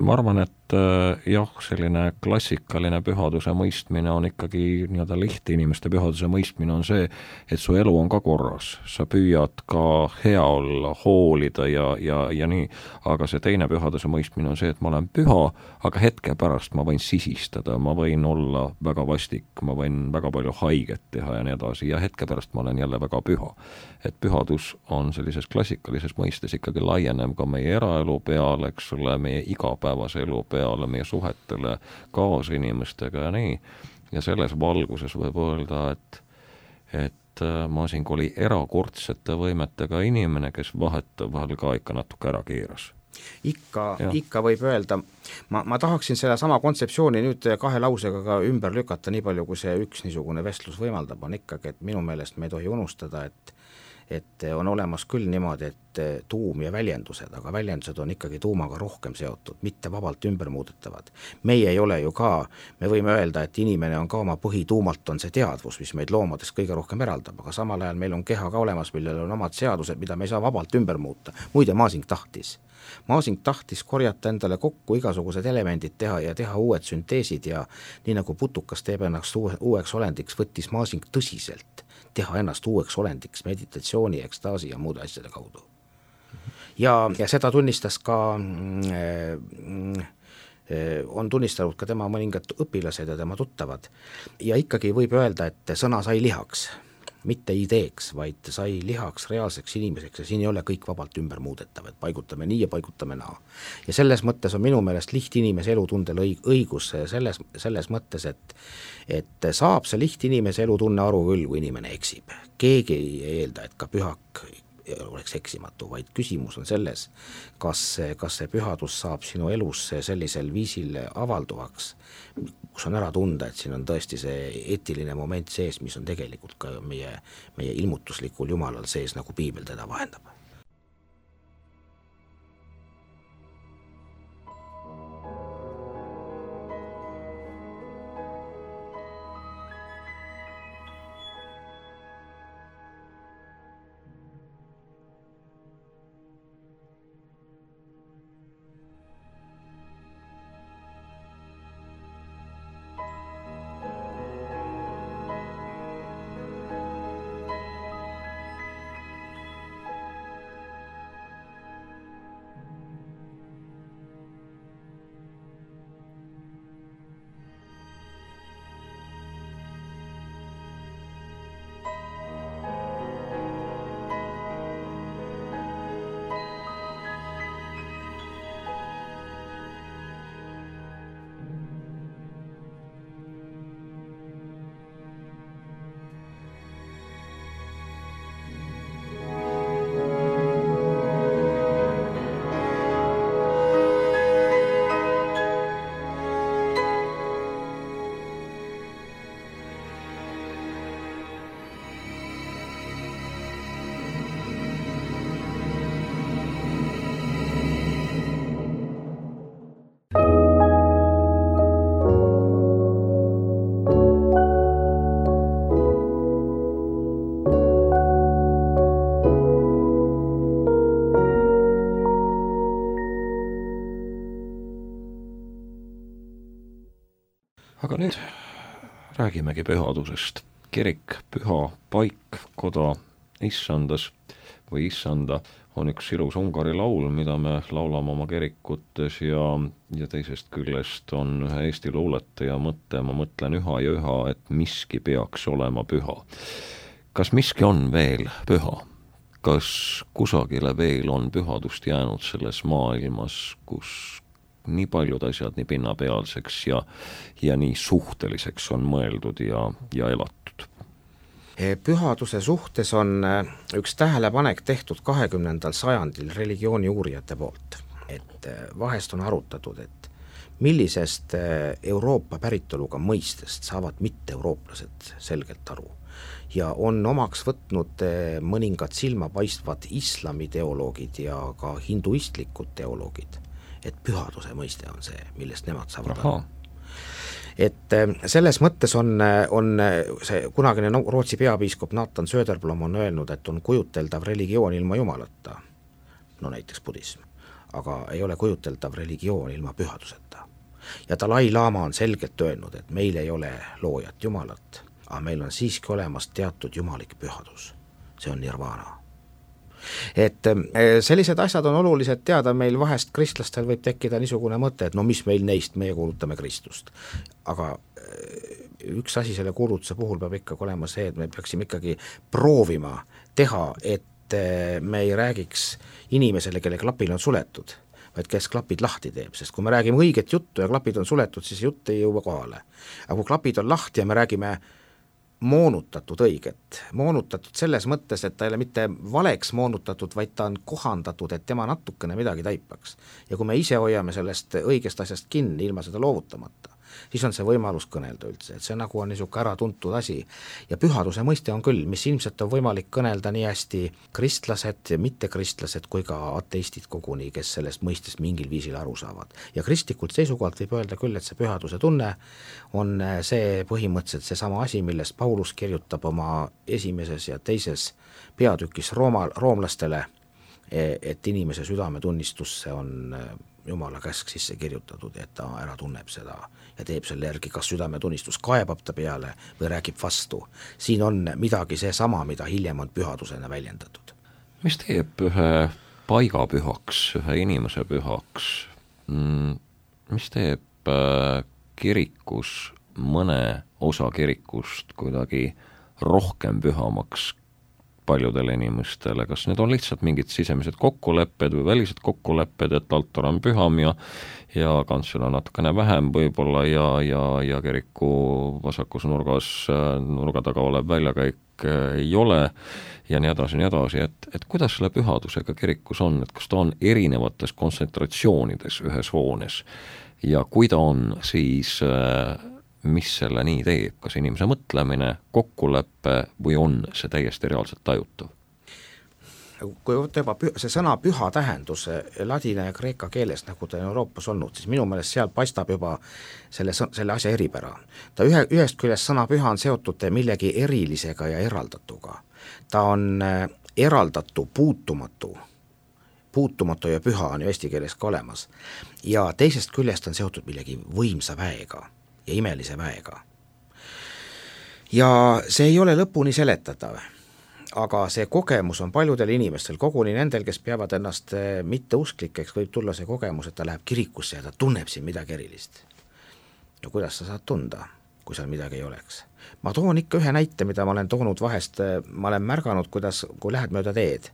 Ma arvan, et äh, jah, selline klassikaline pühaduse mõistmine on ikkagi nii-öelda lihtne inimeste pühaduse mõistmine on see, et su elu on ka korras, sa püüad ka hea olla, hoolida ja, ja, ja nii, aga see teine pühaduse mõistmine on see, et ma olen püha, aga hetke pärast ma võin sisistada, ma võin olla väga vastik, ma võin väga palju haiget teha ja nii edasi ja hetke pärast ma olen jälle väga püha. Et pühadus on sellises klassikalises mõistes ikkagi laienem ka meie eraelu peale, eks ole, meie igapäevase elu peale, meie suhetele kaasinimestega ja nii. Ja selles valguses võib öelda, et, et Masing oli erakordsete võimetega inimene, kes vahet vahel ka ikka natuke ära keeras. Ikka, ikka võib öelda, ma, ma tahaksin selle sama kontseptsiooni nüüd kahe lausega ka ümber lükata, nii palju kui see üks niisugune vestlus võimaldab, on ikkagi, et minu meelest me ei tohi unustada, et et on olemas küll niimoodi, et tuum ja väljendused, aga väljendused on ikkagi tuumaga rohkem seotud, mitte vabalt ümber muudetavad. Meie ei ole ju ka, me võime öelda, et inimene on ka oma põhituumalt on see teadvus, mis meid loomadest kõige rohkem eraldab, aga samal ajal meil on keha ka olemas, millel on omad seadused, mida me ei saa vabalt ümber muuta. Muide, Masing tahtis. Masing tahtis korjata endale kokku igasugused elemendid teha ja teha uued sünteesid ja nii nagu putukas teeb ennast uueks olendiks, võttis Masing tõsiselt teha ennast uueks olendiks meditatsiooni, ekstaasi ja muude asjade kaudu. Ja, ja seda tunnistas ka, mm, on tunnistanud ka tema mõningad õpilased ja tema tuttavad. Ja ikkagi võib öelda, et sõna sai lihaks, mitte ideeks, vaid sai lihaks reaalseks inimeseks ja siin ei ole kõik vabalt ümber muudetav, et paigutame nii ja paigutame naa. Ja selles mõttes on minu meelest liht inimese elutundel õigus selles, selles mõttes, et et saab see liht inimese elutunne aru küll, kui inimene eksib. Keegi ei eelda, et ka pühak oleks eksimatu, vaid küsimus on selles, kas, kas see pühadus saab sinu elus sellisel viisil avalduvaks, kus on ära tunda, et siin on tõesti see eetiline moment sees, mis on tegelikult ka meie, meie ilmutuslikul Jumalal sees, nagu piibel teda vahendab. Aga nüüd räägimegi pühadusest. Kirik, püha paik, koda issandas või issanda on üks ilus Ungari laul, mida me laulame oma kirikutes ja, ja teisest küljest on ühe Eesti luuletaja mõte, ma mõtlen üha ja üha, et miski peaks olema püha. Kas miski on veel püha? Kas kusagile veel on pühadust jäänud selles maailmas, kus nii paljud asjad nii pinnapealseks ja, ja nii suhteliseks on mõeldud ja, ja elatud? Pühaduse suhtes on üks tähelepanek tehtud kahekümnendal sajandil religiooni uurijate poolt. Et vahest on arutatud, et millisest Euroopa päritoluga mõistest saavad mitte-eurooplased selgelt aru. Ja on omaks võtnud mõningad silmapaistvad islamiteoloogid ja ka hinduistlikud teoloogid, et pühaduse mõiste on see, millest nemad saavad Aha. aru. Et selles mõttes on, on see kunagine Rootsi peapiiskop Nathan Söderblom on öelnud, et on kujuteldav religioon ilma jumalata, no näiteks budism, aga ei ole kujuteldav religioon ilma pühaduseta. Ja Dalai Lama on selgelt öelnud, et meil ei ole loojat jumalat, aga meil on siiski olemas teatud jumalik pühadus, see on nirvana. Et sellised asjad on olulised teada, meil vahest kristlastel võib tekkida niisugune mõte, et no mis meil neist, meie kuulutame Kristust. Aga üks asi selle kuulutuse puhul peab ikkagi olema see, et me peaksime ikkagi proovima teha, et me ei räägiks inimesele, kelle klapil on suletud, vaid kes klapid lahti teeb, sest kui me räägime õiget juttu ja klapid on suletud, siis jutt ei jõua kohale. Aga kui klapid on lahti ja me räägime moonutatud õiget, moonutatud selles mõttes, et ta ei ole mitte valeks moonutatud, vaid ta on kohandatud, et tema natukene midagi taipaks. Ja kui me ise hoiame sellest õigest asjast kinni ilma seda loovutamata, siis on see võimalus kõnelda üldse, et see nagu on niisugune ära tuntud asi. Ja pühaduse mõiste on küll, mis ilmselt on võimalik kõnelda nii hästi kristlased ja mittekristlased kui ka ateistid koguni, kes sellest mõistest mingil viisil aru saavad. Ja kristlikult seisukohalt võib öelda küll, et see pühaduse tunne on see põhimõtteliselt see sama asi, millest Paulus kirjutab oma esimeses ja teises peatükis Rooma, roomlastele, et inimese südametunnistusse on Jumala käsk sisse kirjutatud, et ta ära tunneb seda ja teeb selle järgi, kas südametunnistus kaebab ta peale või räägib vastu. Siin on midagi see sama, mida hiljem on pühadusena väljendatud. Mis teeb ühe paiga pühaks, ühe inimese pühaks? Mis teeb kirikus mõne osa kirikust kuidagi rohkem pühamaks paljudele inimestele, kas need on lihtsalt mingid sisemised kokkulepped või välised kokkulepped, et altar on püham ja, ja kantsel on natukene vähem võib-olla ja, ja, ja kiriku vasakus nurgas, nurga taga olev väljakäik ei ole ja nii edasi, nii edasi, et, et kuidas selle pühadusega kirikus on, et kas ta on erinevates kontsentratsioonides ühes hoones ja kui ta on, siis mis selle nii teeb, kas inimese mõtlemine, kokkuleppe või on see täiesti reaalselt tajutav? Kui juba see sõna püha tähendus ladina ja kreeka keeles, nagu ta on Euroopas olnud, siis minu meelest seal paistab juba selle, selle asja eripära. Ta ühe, ühest küljest sõna püha on seotud millegi erilisega ja eraldatuga. Ta on eraldatu, puutumatu, puutumatu ja püha on ju eesti keeles ka olemas. Ja teisest küljest on seotud millegi võimsa väega ja imelise väega. Ja see ei ole lõpuni seletatav, aga see kogemus on paljudel inimestel, koguni nendel, kes peavad ennast mitteusklikeks, võib tulla see kogemus, et ta läheb kirikusse ja ta tunneb siin midagi erilist. Ja kuidas sa saad tunda, kui seal midagi ei oleks? Ma toon ikka ühe näite, mida ma olen toonud vahest, ma olen märganud, kuidas, kui lähed mööda teed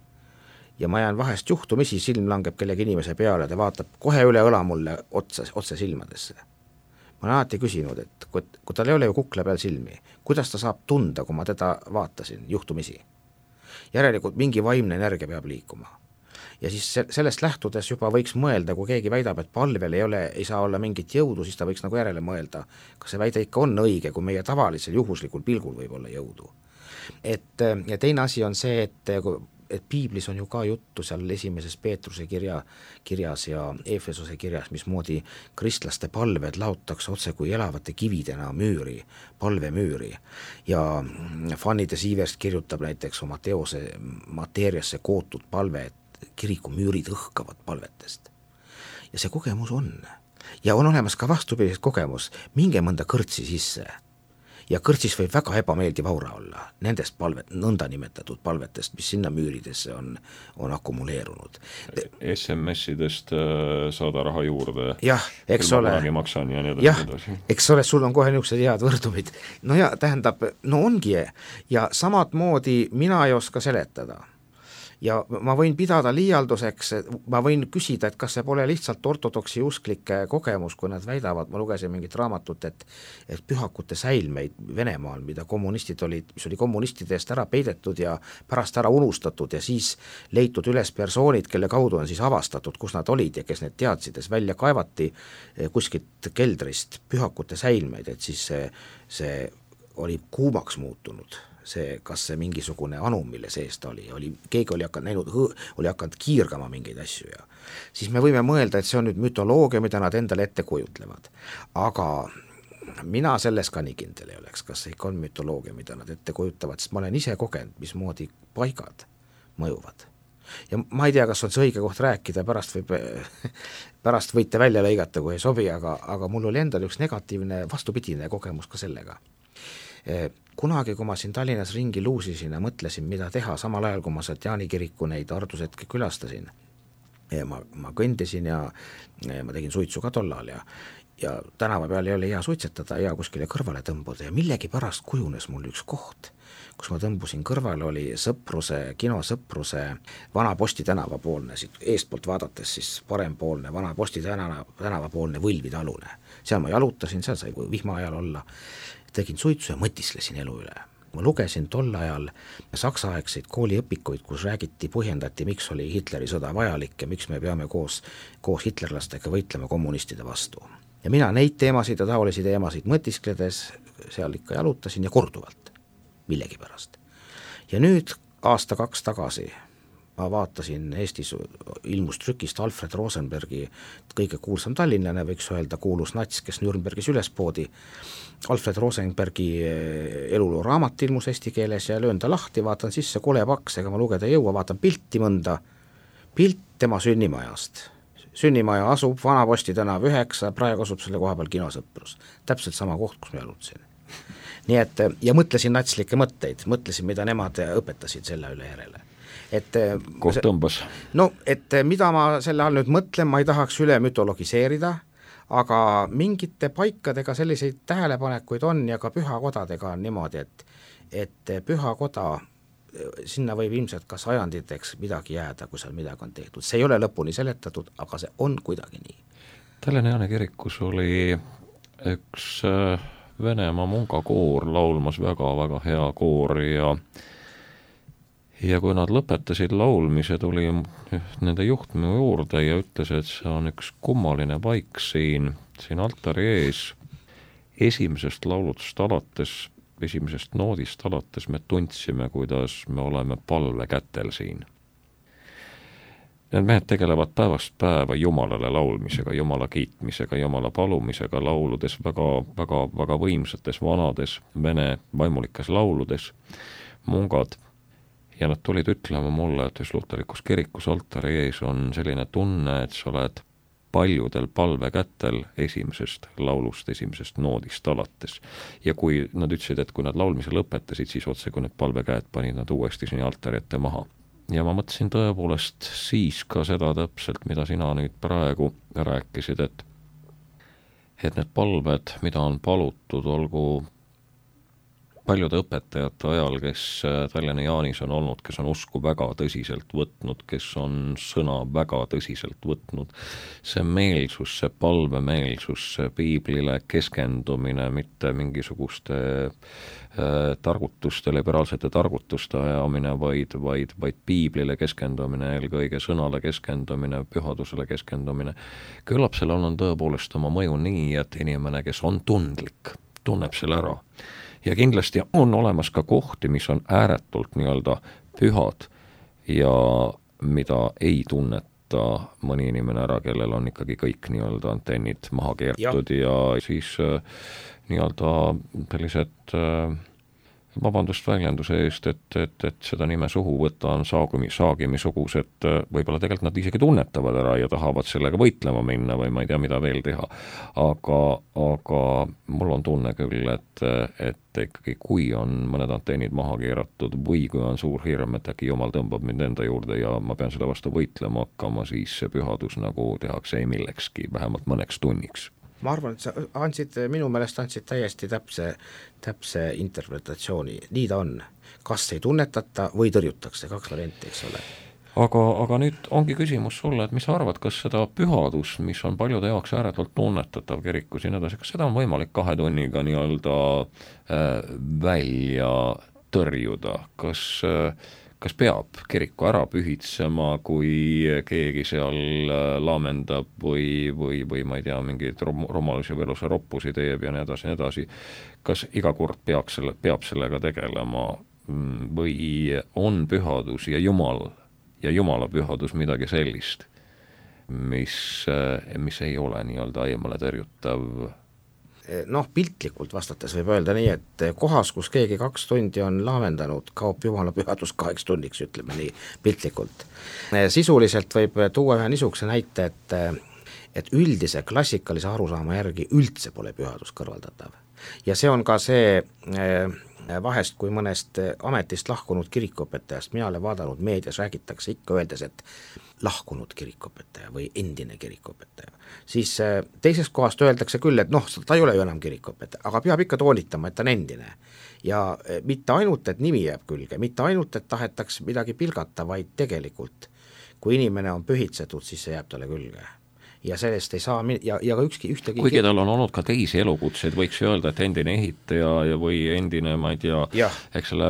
ja ma jään vahest juhtumisi, silm langeb kellegi inimese peale, ta vaatab kohe üle õla mulle otse, otse silmadesse. Ma olen alati küsinud, et kui, kui tal ei ole ju kukla peal silmi, kuidas ta saab tunda, kui ma teda vaatasin juhtumisi? Järelikult mingi vaimne energia peab liikuma. Ja siis sellest lähtudes juba võiks mõelda, kui keegi väidab, et palvel ei ole, ei saa olla mingit jõudu, siis ta võiks nagu järele mõelda, kas see väide ikka on õige, kui meie tavalisel juhuslikul pilgul võib olla jõudu. Et, ja teine asi on see, et et piiblis on ju ka juttu seal esimeses Peetruse kirja, kirjas ja Efesose kirjas, mismoodi kristlaste palved laotakse otse kui elavate kividena müüri, palvemüüri. Ja Fanny de Siverst kirjutab näiteks oma teose mateeriasse kootud palve, et kiriku müürid õhkavad palvetest. Ja see kogemus on. ja on olemas ka vastupidist kogemus, minge mõnda kõrtsi sisse ja kõrtsis võib väga ebameeldiv aura olla nendest palvet, nõnda nimetatud palvetest, mis sinna müüridesse on, on akumuleerunud. S M S-idest saada raha juurde, jah, eks ole, maksan ja nii jah, eks ole, sul on kohe niisugused head võrdumid. No ja tähendab, no ongi ja samad moodi mina ei oska seletada. Ja ma võin pidada liialduseks, ma võin küsida, et kas see pole lihtsalt ortodoksi usklike kogemus, kui nad väidavad, ma lugesin mingit raamatut, et, et pühakute säilmeid Venemaal, mida kommunistid olid, mis oli kommunistide eest ära peidetud ja pärast ära unustatud ja siis leitud üles persoonid, kelle kaudu on siis avastatud, kus nad olid ja kes need teadsides välja kaevati kuskilt keldrist pühakute säilmeid, et siis see, see oli kuumaks muutunud. See, kas see mingisugune anum, mille sees ta oli, oli, keegi oli hakanud näinud, oli hakanud kiirgama mingeid asju ja siis me võime mõelda, et see on nüüd mütoloogia, mida nad endale ette kujutlevad. Aga mina selles ka nii kindel ei oleks, kas see ikka on mütoloogia, mida nad ette kujutavad, sest ma olen ise kogenud, mismoodi paigad mõjuvad. Ja ma ei tea, kas on see õige koht rääkida, pärast, võib, pärast võite välja lõigata, kui ei sobi, aga, aga mul oli endal üks negatiivne vastupidine kogemus ka sellega. Kunagi, kui ma siin Tallinnas ringi luusisin ja mõtlesin, mida teha, samal ajal, kui ma sealt Jaani kiriku neid ardusetki külastasin, ma, ma kõndisin ja ma tegin suitsu ka tollal ja, ja tänava peal ei ole hea suitsetada, hea kuskile kõrvale tõmbuda ja millegi pärast kujunes mul üks koht, kus ma tõmbusin kõrvale, oli Sõpruse, kino Sõpruse Vana Posti tänava poolne, siit eestpoolt vaadates siis parempoolne Vana Posti tänava, tänava poolne Võlvitalune. Seal ma jalutasin, seal sai vihma ajal olla, tegin suitsu ja mõtislesin elu üle. Ma lugesin tol ajal saksaaegseid kooliõpikuid, kus räägiti, põhjendati, miks oli Hitleri sõda vajalik ja miks me peame koos, koos hitlerlastega võitlema kommunistide vastu. Ja mina neid teemasid ja taolisi teemasid mõtiskledes seal ikka jalutasin ja korduvalt, millegi pärast. Ja nüüd aasta kaks tagasi ma vaatasin Eestis ilmus trükist Alfred Rosenbergi kõige kuulsam tallinlane, võiks öelda kuulus nats, kes Nürnbergis üles poodi. Alfred Rosenbergi eluloo raamat ilmus eesti keeles ja löön ta lahti, vaatan sisse, kole paks, ega ma lugeda ei jõua, vaatan pilti mõnda, pilt tema sünnimajast. Sünnimaja asub Vana Posti tänav üheksa, praegu asub selle koha peal kino Sõprus. Täpselt sama koht, kus me jalutasin. Nii et, ja mõtlesin natslikke mõtteid, mõtlesin, mida nemad õpetasid selle üle järele. Et, koht tõmbas. No, et mida ma selle all nüüd mõtlen, ma ei tahaks üle mütologiseerida, aga mingite paikadega selliseid tähelepanekuid on ja ka pühakodadega on niimoodi, et, et pühakoda, sinna võib ilmselt ka sajanditeks midagi jääda, kui seal midagi on tehtud. See ei ole lõpuni seletatud, aga see on kuidagi nii. Tallinna Jaani kirikus oli üks Venemaa mungakoor laulmas väga-väga hea koor ja ja kui nad lõpetasid laulmise, tuli nende juht minu juurde ja ütles, et see on üks kummaline paik siin, siin altari ees. Esimesest laulutust alates, esimesest noodist alates me tundsime, kuidas me oleme palve kätel siin. Need mehed tegelevad päevast päeva Jumalale laulmisega, Jumala kiitmisega, Jumala palumisega lauludes, väga, väga, väga võimsates vanades vene vaimulikes lauludes, mungad. Ja nad tulid ütlema mulle, et just luterlikus kirikus altari ees on selline tunne, et sa oled paljudel palve kätel esimesest laulust, esimesest noodist alates. Ja kui nad ütlesid, et kui nad laulmise lõpetasid, siis otse kui need palvekäed panid nad uuesti sinna altari ette maha. Ja ma mõtlesin tõepoolest siis ka seda täpselt, mida sina nüüd praegu rääkisid, et, et need palved, mida on palutud, olgu paljude õpetajate ajal, kes Tallinna Jaanis on olnud, kes on usku väga tõsiselt võtnud, kes on sõna väga tõsiselt võtnud, see meelsus, see palvemeelsus, see piiblile keskendumine, mitte mingisuguste äh, targutuste, liberaalsete targutuste ajamine, vaid, vaid, vaid piiblile keskendumine, eelkõige sõnale keskendumine, pühadusele keskendumine. Küllap sellel on tõepoolest oma mõju nii, et inimene, kes on tundlik, tunneb selle ära. Ja kindlasti on olemas ka kohti, mis on ääretult nii-öelda pühad ja mida ei tunneta mõni inimene ära, kellel on ikkagi kõik nii-öelda antennid maha keertud ja, ja siis äh, nii-öelda sellised äh, vabandust väljenduse eest, et, et, et seda nime suhu võtta on saagimi, saagimisugused, võib-olla tegelikult nad isegi tunnetavad ära ja tahavad sellega võitlema minna või ma ei tea, mida veel teha. Aga, aga mul on tunne küll, et, et ikkagi kui on mõned antennid maha keeratud või kui on suur hirm, et äkki jumal tõmbab mind enda juurde ja ma pean selle vastu võitlema hakkama, siis see pühadus nagu tehakse ei millekski, vähemalt mõneks tunniks. Ma arvan, et sa andsid, minu meelest andsid täiesti täpse, täpse interpretatsiooni. Nii ta on. Kas ei tunnetata või tõrjutakse, kaks varianti, eks ole. Aga, aga nüüd ongi küsimus sulle, et mis sa arvad, kas seda pühadus, mis on paljude jaoks ääretult tunnetatav kirikus ja nii edasi, kas seda on võimalik kahe tunniga nii-öelda äh, välja tõrjuda? Kas äh, kas peab kiriku ära pühitsema, kui keegi seal laamendab või, või, või ma ei tea, mingeid rom- romalusi või elusa roppusi teeb ja nii edasi, nii edasi. Kas iga kord peab, selle, peab sellega tegelema või on pühadus ja Jumal ja Jumala pühadus midagi sellist, mis, mis ei ole nii-öelda eemale tõrjutav? Noh, piltlikult vastates võib öelda nii, et kohas, kus keegi kaks tundi on laamendanud, kaob Jumala pühadus kaheks tunniks, ütleme nii piltlikult. Sisuliselt võib tuua ühe niisuguse näite, et, et üldise klassikalise arusaama järgi üldse pole pühadus kõrvaldatav. Ja see on ka see vahest, kui mõnest ametist lahkunud kirikuõpetajast mina olen vaadanud meedias, räägitakse ikka öeldes, et lahkunud kirikuõpetaja või endine kirikuõpetaja, siis teisest kohast öeldakse küll, et noh, ta ei ole ju enam kirikuõpetaja, aga peab ikka toonitama, et ta on endine. Ja mitte ainult, et nimi jääb külge, mitte ainult, et tahetaks midagi pilgata, vaid tegelikult, kui inimene on pühitsetud, siis see jääb talle külge. Ja sellest ei saa, ja, ja ka ükski ühtegi kuigi tal on olnud ka teisi elukutseid, võiks öelda, et endine ehitaja ja või endine, ma ei tea, eks selle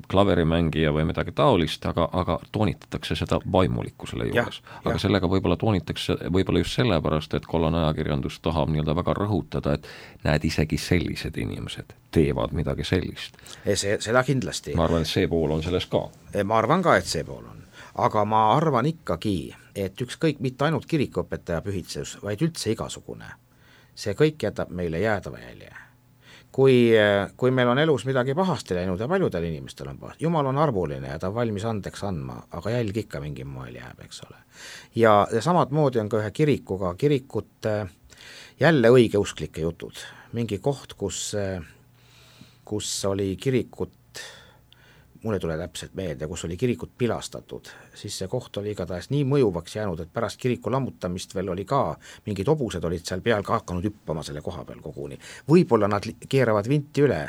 klaverimängija või midagi taolist, aga, aga toonitatakse seda vaimulikkusele juures. Ja, aga ja. Sellega võib-olla toonitakse võib-olla just sellepärast, et kollane ajakirjandus tahab nii-öelda väga rõhutada, et näed, isegi sellised inimesed teevad midagi sellist. See, seda kindlasti. Ma arvan, et see pool on selles ka. Ma arvan ka, et see pool on. Aga ma arvan ikkagi, et ükskõik mitte ainult kirikuõpetaja pühitsus, vaid üldse igasugune. See kõik jätab meile jäädava jälje. Kui, kui meil on elus midagi pahasti läinud ja paljudel inimestel on pahasti, Jumal on arvuline ja ta on valmis andeks andma, aga jälg ikka mingi moel jääb, eks ole. Ja, ja samad moodi on ka ühe kirikuga, kirikut jälle õigeusklike jutud. Mingi koht, kus, kus oli kirikut, mul ei tule täpselt meelde, kus oli kirikut pilastatud, siis see koht oli igatahes nii mõjuvaks jäänud, et pärast kiriku lammutamist veel oli ka, mingid hobused olid seal peal ka hakanud hüppama selle koha peal koguni. Võib-olla nad keeravad vinti üle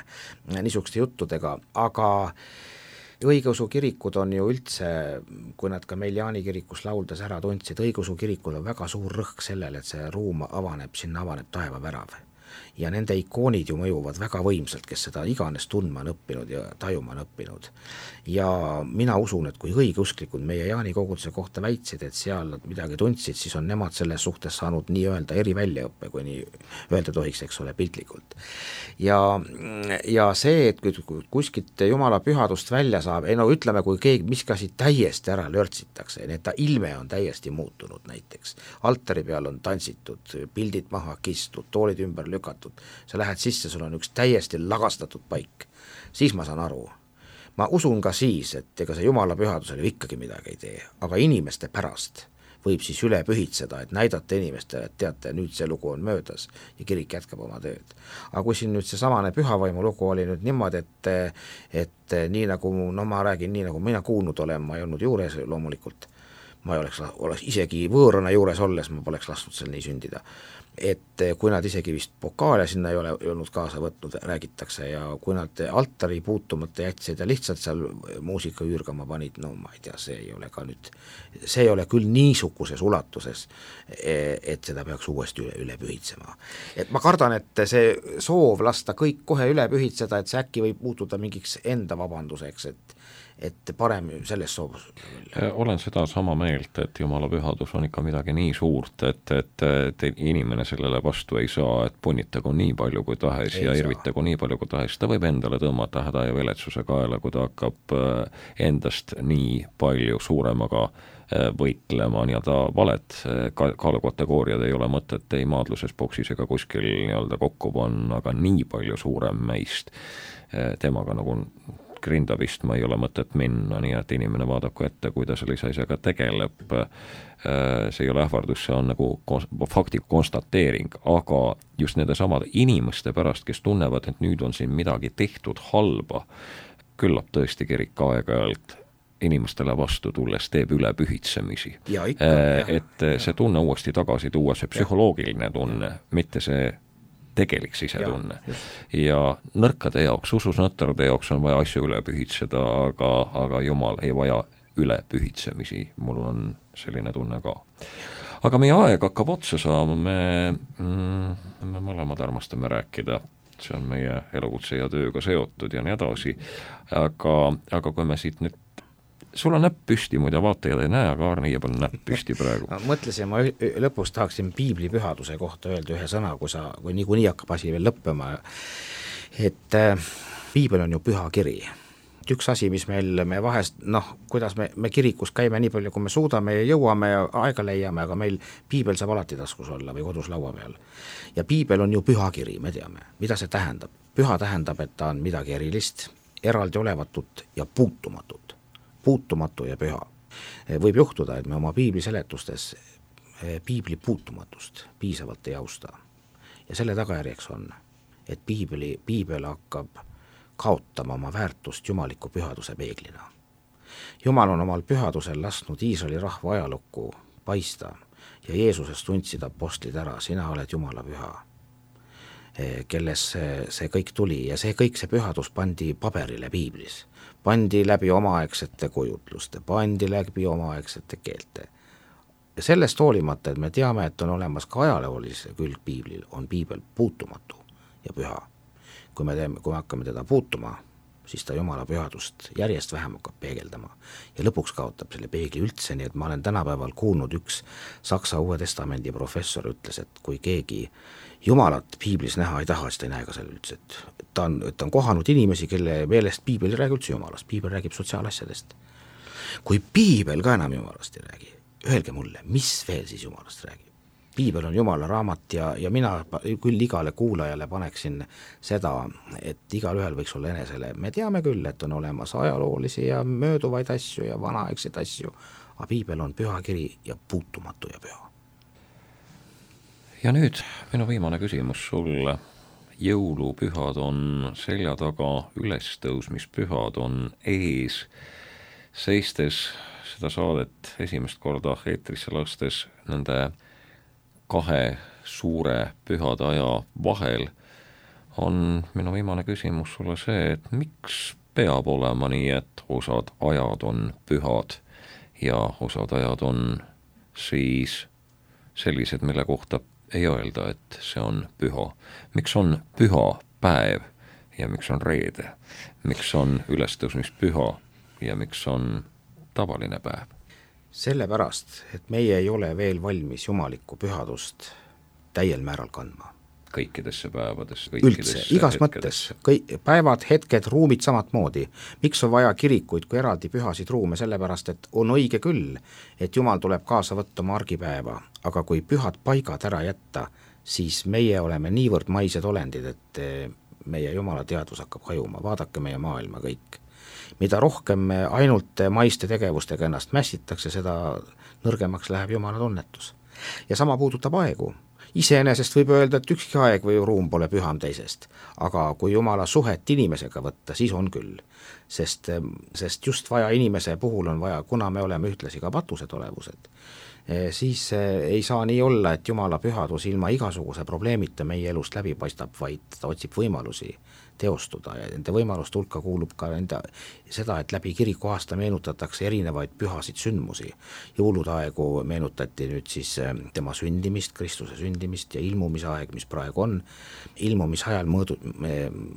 niisuguste juttudega, aga õigeusu kirikud on ju üldse, kui nad ka meil Jaani kirikus lauldes ära tundsid, õigeusu kirikul on väga suur rõhk sellele, et see ruum avaneb, sinna avaneb taevavärav. Ja nende ikoonid ju mõjuvad väga võimsalt, kes seda iganes tundma on õppinud ja tajuma on õppinud. Ja mina usun, et kui õigeusklikud meie Jaani koguduse kohta väitsid, et seal nad midagi tundsid, siis on nemad selles suhtes saanud nii öelda eri väljaõppe, kui nii öelda tohiks, eks ole, piltlikult. Ja, ja see, et kui kuskilt Jumala pühadust välja saab, ei no ütleme, kui keegi miskasi täiesti ära lörtsitakse, nii et ta ilme on täiesti muutunud näiteks. Altari peal on tantsitud, pildid maha kistud, toolid ümber lükatud, sa lähed sisse, sul on üks täiesti lagastatud paik, siis ma saan aru. Ma usun ka siis, et ega see Jumala pühadusele ikkagi midagi ei tee, aga inimeste pärast võib siis üle pühitseda, et näidata inimestele, et teate, nüüd see lugu on möödas ja kirik jätkab oma tööd. Aga kui siin nüüd see samane pühavaimu lugu oli nüüd niimoodi, et, et nii nagu, no ma räägin nii nagu mina kuulnud olen, ma ei olnud juures loomulikult, ma ei oleks, oleks isegi võõrana juures olles, ma poleks lasknud seal nii sündida. Et kui nad isegi vist pokaale sinna ei ole olnud kaasa võtnud, räägitakse, ja kui nad altari puutumata jätsid ja lihtsalt seal muusika üürgama panid, no ma ei tea, see ei ole ka nüüd, see ei ole küll niisuguses ulatuses, et seda peaks uuesti üle, üle pühitsema. Et ma kardan, et see soov lasta kõik kohe üle pühitseda, et see äkki võib muutuda mingiks enda vabanduseks, et et parem selles soovus. Olen seda sama meelt, et Jumala pühadus on ikka midagi nii suurt, et, et, et inimene sellele vastu ei saa, et punnitagu nii palju kui tahes ei ja irvitagu nii palju kui tahes. Ta võib endale tõmmata häda ja viletsuse kaela, kui ta hakkab endast nii palju suuremaga võitlema, nii-öelda valed kaalukategooriad ei ole mõtet ei maadluses, boksis ega kuskil nii-öelda kokku panna, aga nii palju suurem meist temaga nagu grinda vistma ei ole mõtet minna, nii et inimene vaadaku ette, kui ta sellise asjaga tegeleb. See ei ole ähvardus, see on nagu fakti konstateering, aga just nende samade inimeste pärast, kes tunnevad, et nüüd on siin midagi tehtud halba, küllap tõesti kirik aeg-ajalt inimestele vastu tulles teeb üle pühitsemisi. Ja ikka, et ja. See tunne uuesti tagasi tuua, see psühholoogiline tunne, mitte see tegelik sisetunne. Ja, ja nõrkade jaoks, usus nõtrade jaoks on vaja asju üle pühitseda, aga, aga Jumal ei vaja üle pühitsemisi, mul on selline tunne ka. Aga meie aeg hakkab otsa saama, me, mm, me mõlemad armastame rääkida, see on meie elukutse ja tööga seotud ja nii edasi, aga, aga kui me siit nüüd sul on näpp püsti, muide vaatajad ei näe, aga Arne jääb on näpp püsti praegu. Ma mõtlesin, ma lõpus tahaksin piibli pühaduse kohta öelda ühe sõna, kui sa, kui niikuinii hakkab asi veel lõppema, et äh, piibel on ju püha kiri. Üks asi, mis meil, me vahest, noh, kuidas me, me kirikus käime nii palju, kui me suudame ja jõuame ja aega leiame, aga meil piibel saab alati taskus olla või kodus laua peal. Ja piibel on ju püha kiri, me teame, mida see tähendab. Püha tähendab, et ta on midagi erilist, eraldi olevatut ja puutumatut. Puutumatu ja püha. Võib juhtuda, et me oma piibli seletustes piibli puutumatust piisavalt ei austa. Ja selle tagajärjeks on, et piibli, piibel hakkab kaotama oma väärtust jumaliku pühaduse peeglina. Jumal on omal pühadusel lasknud Iisraeli rahva ajalukku paista ja Jeesusest tundsid apostlid ära, sina oled Jumala püha, kelles see, see kõik tuli ja see kõik, see pühadus pandi paberile piiblis. Pandi läbi omaaegsete kujutluste, pandi läbi omaaegsete keelte. Ja sellest hoolimata, et me teame, et on olemas ka ajaloolise külg piiblil, on piibel puutumatu ja püha. Kui me, teeme, kui me hakkame teda puutuma, siis ta Jumala pühadust järjest vähem hakkab peegeldama ja lõpuks kaotab selle peegli üldse, nii et ma olen tänapäeval kuulnud üks Saksa Uue Testamendi professor ütles, et kui keegi Jumalat piiblis näha ei taha, siis ta ei näe ka selle üldse, et ta on, et ta on kohanud inimesi, kelle meelest piibel ei räägi üldse Jumalast, piibel räägib sotsiaalasjadest. Kui piibel ka enam Jumalast ei räägi, öelge mulle, mis veel siis Jumalast räägib? Piibel on Jumala raamat ja, ja mina küll igale kuulajale paneksin seda, et igal ühel võiks olla enesele. Me teame küll, et on olemas ajaloolisi ja mööduvaid asju ja vanaaegseid asju, aga piibel on püha kiri ja puutumatu ja püha. Ja nüüd minu viimane küsimus sulle. Jõulupühad on selja taga, ülestõusmispühad on ees. Seistes seda saadet esimest korda eetrisse lastes nende kahe suure pühade aja vahel on minu viimane küsimus sulle see, et miks peab olema nii, et osad ajad on pühad ja osad ajad on siis sellised, mille kohta ei öelda, et see on püha. Miks on püha päev ja miks on reede? Miks on ülestõusmispüha ja miks on tavaline päev? Sellepärast, et meie ei ole veel valmis jumalikku pühadust täiel määral kandma. Kõikidesse päevadesse, üldse, igas mõttes, kõik, päevad, hetked, ruumid samat moodi. Miks on vaja kirikuid kui eraldi pühasid ruume? Sellepärast, et on õige küll, et Jumal tuleb kaasa võtta oma argipäeva, aga kui pühad paigad ära jätta, siis meie oleme niivõrd maised olendid, et meie Jumala teadvus hakkab hajuma. Vaadake meie maailma kõik. Mida rohkem me ainult maiste tegevustega ennast mässitakse, seda nõrgemaks läheb Jumala tunnetus. Ja sama puudutab aegu. Iseenesest võib öelda, et ükski aeg või ruum pole püham teisest, aga kui Jumala suhet inimesega võtta, siis on küll. Sest, sest just vaja inimese puhul on vaja, kuna me oleme ühtlasi ka patused olevused, siis ei saa nii olla, et Jumala pühadus ilma igasuguse probleemita meie elust läbi paistab, vaid ta otsib võimalusi teostuda ja nende võimaluste hulka kuulub ka nende, seda, et läbi kiriku aasta meenutatakse erinevaid pühasid sündmusi. Jõulude aegu meenutati nüüd siis tema sündimist, Kristuse sündimist ja ilmumisaeg, mis praegu on. Ilmumisajal mõõdu,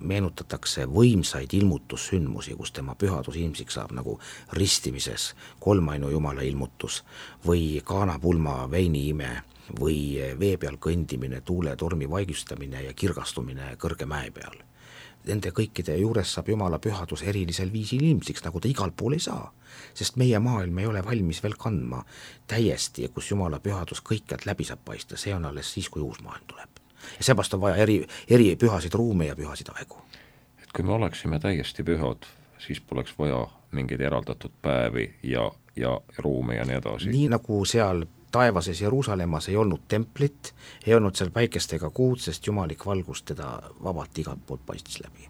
meenutatakse võimsaid ilmutussündmusi, kus tema pühadus ilmsiks saab, nagu ristimises kolmainu Jumala ilmutus või kaanapulma veiniime või vee peal kõndimine, tuule tormi vaigustamine ja kirgastumine kõrge mäe peal. Nende kõikide juures saab Jumala pühadus erilisel viisil ilmsiks, nagu ta igal pool ei saa, sest meie maailm ei ole valmis veel kandma täiesti, kus Jumala pühadus kõikjalt läbi saab paista, see on alles siis, kui uus maailm tuleb. Ja seepärast on vaja eri, eri pühasid ruume ja pühasid aegu. Et kui me oleksime täiesti pühad, siis poleks vaja mingeid eraldatud päevi ja, ja ruume ja nii edasi. Nii nagu seal taevases Jeruusalemmas ei olnud templit, ei olnud seal päikest ega kuud, sest jumalik valgus teda vabalt igalt poolt paistis läbi.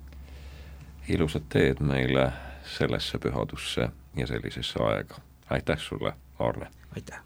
Ilusad teed meile sellesse pühadusse ja sellisesse aega. Aitäh sulle, Arne! Aitäh!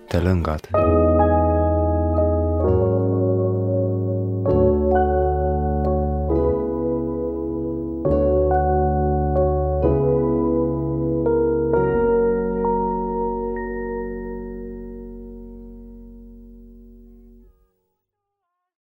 mõttelõngad.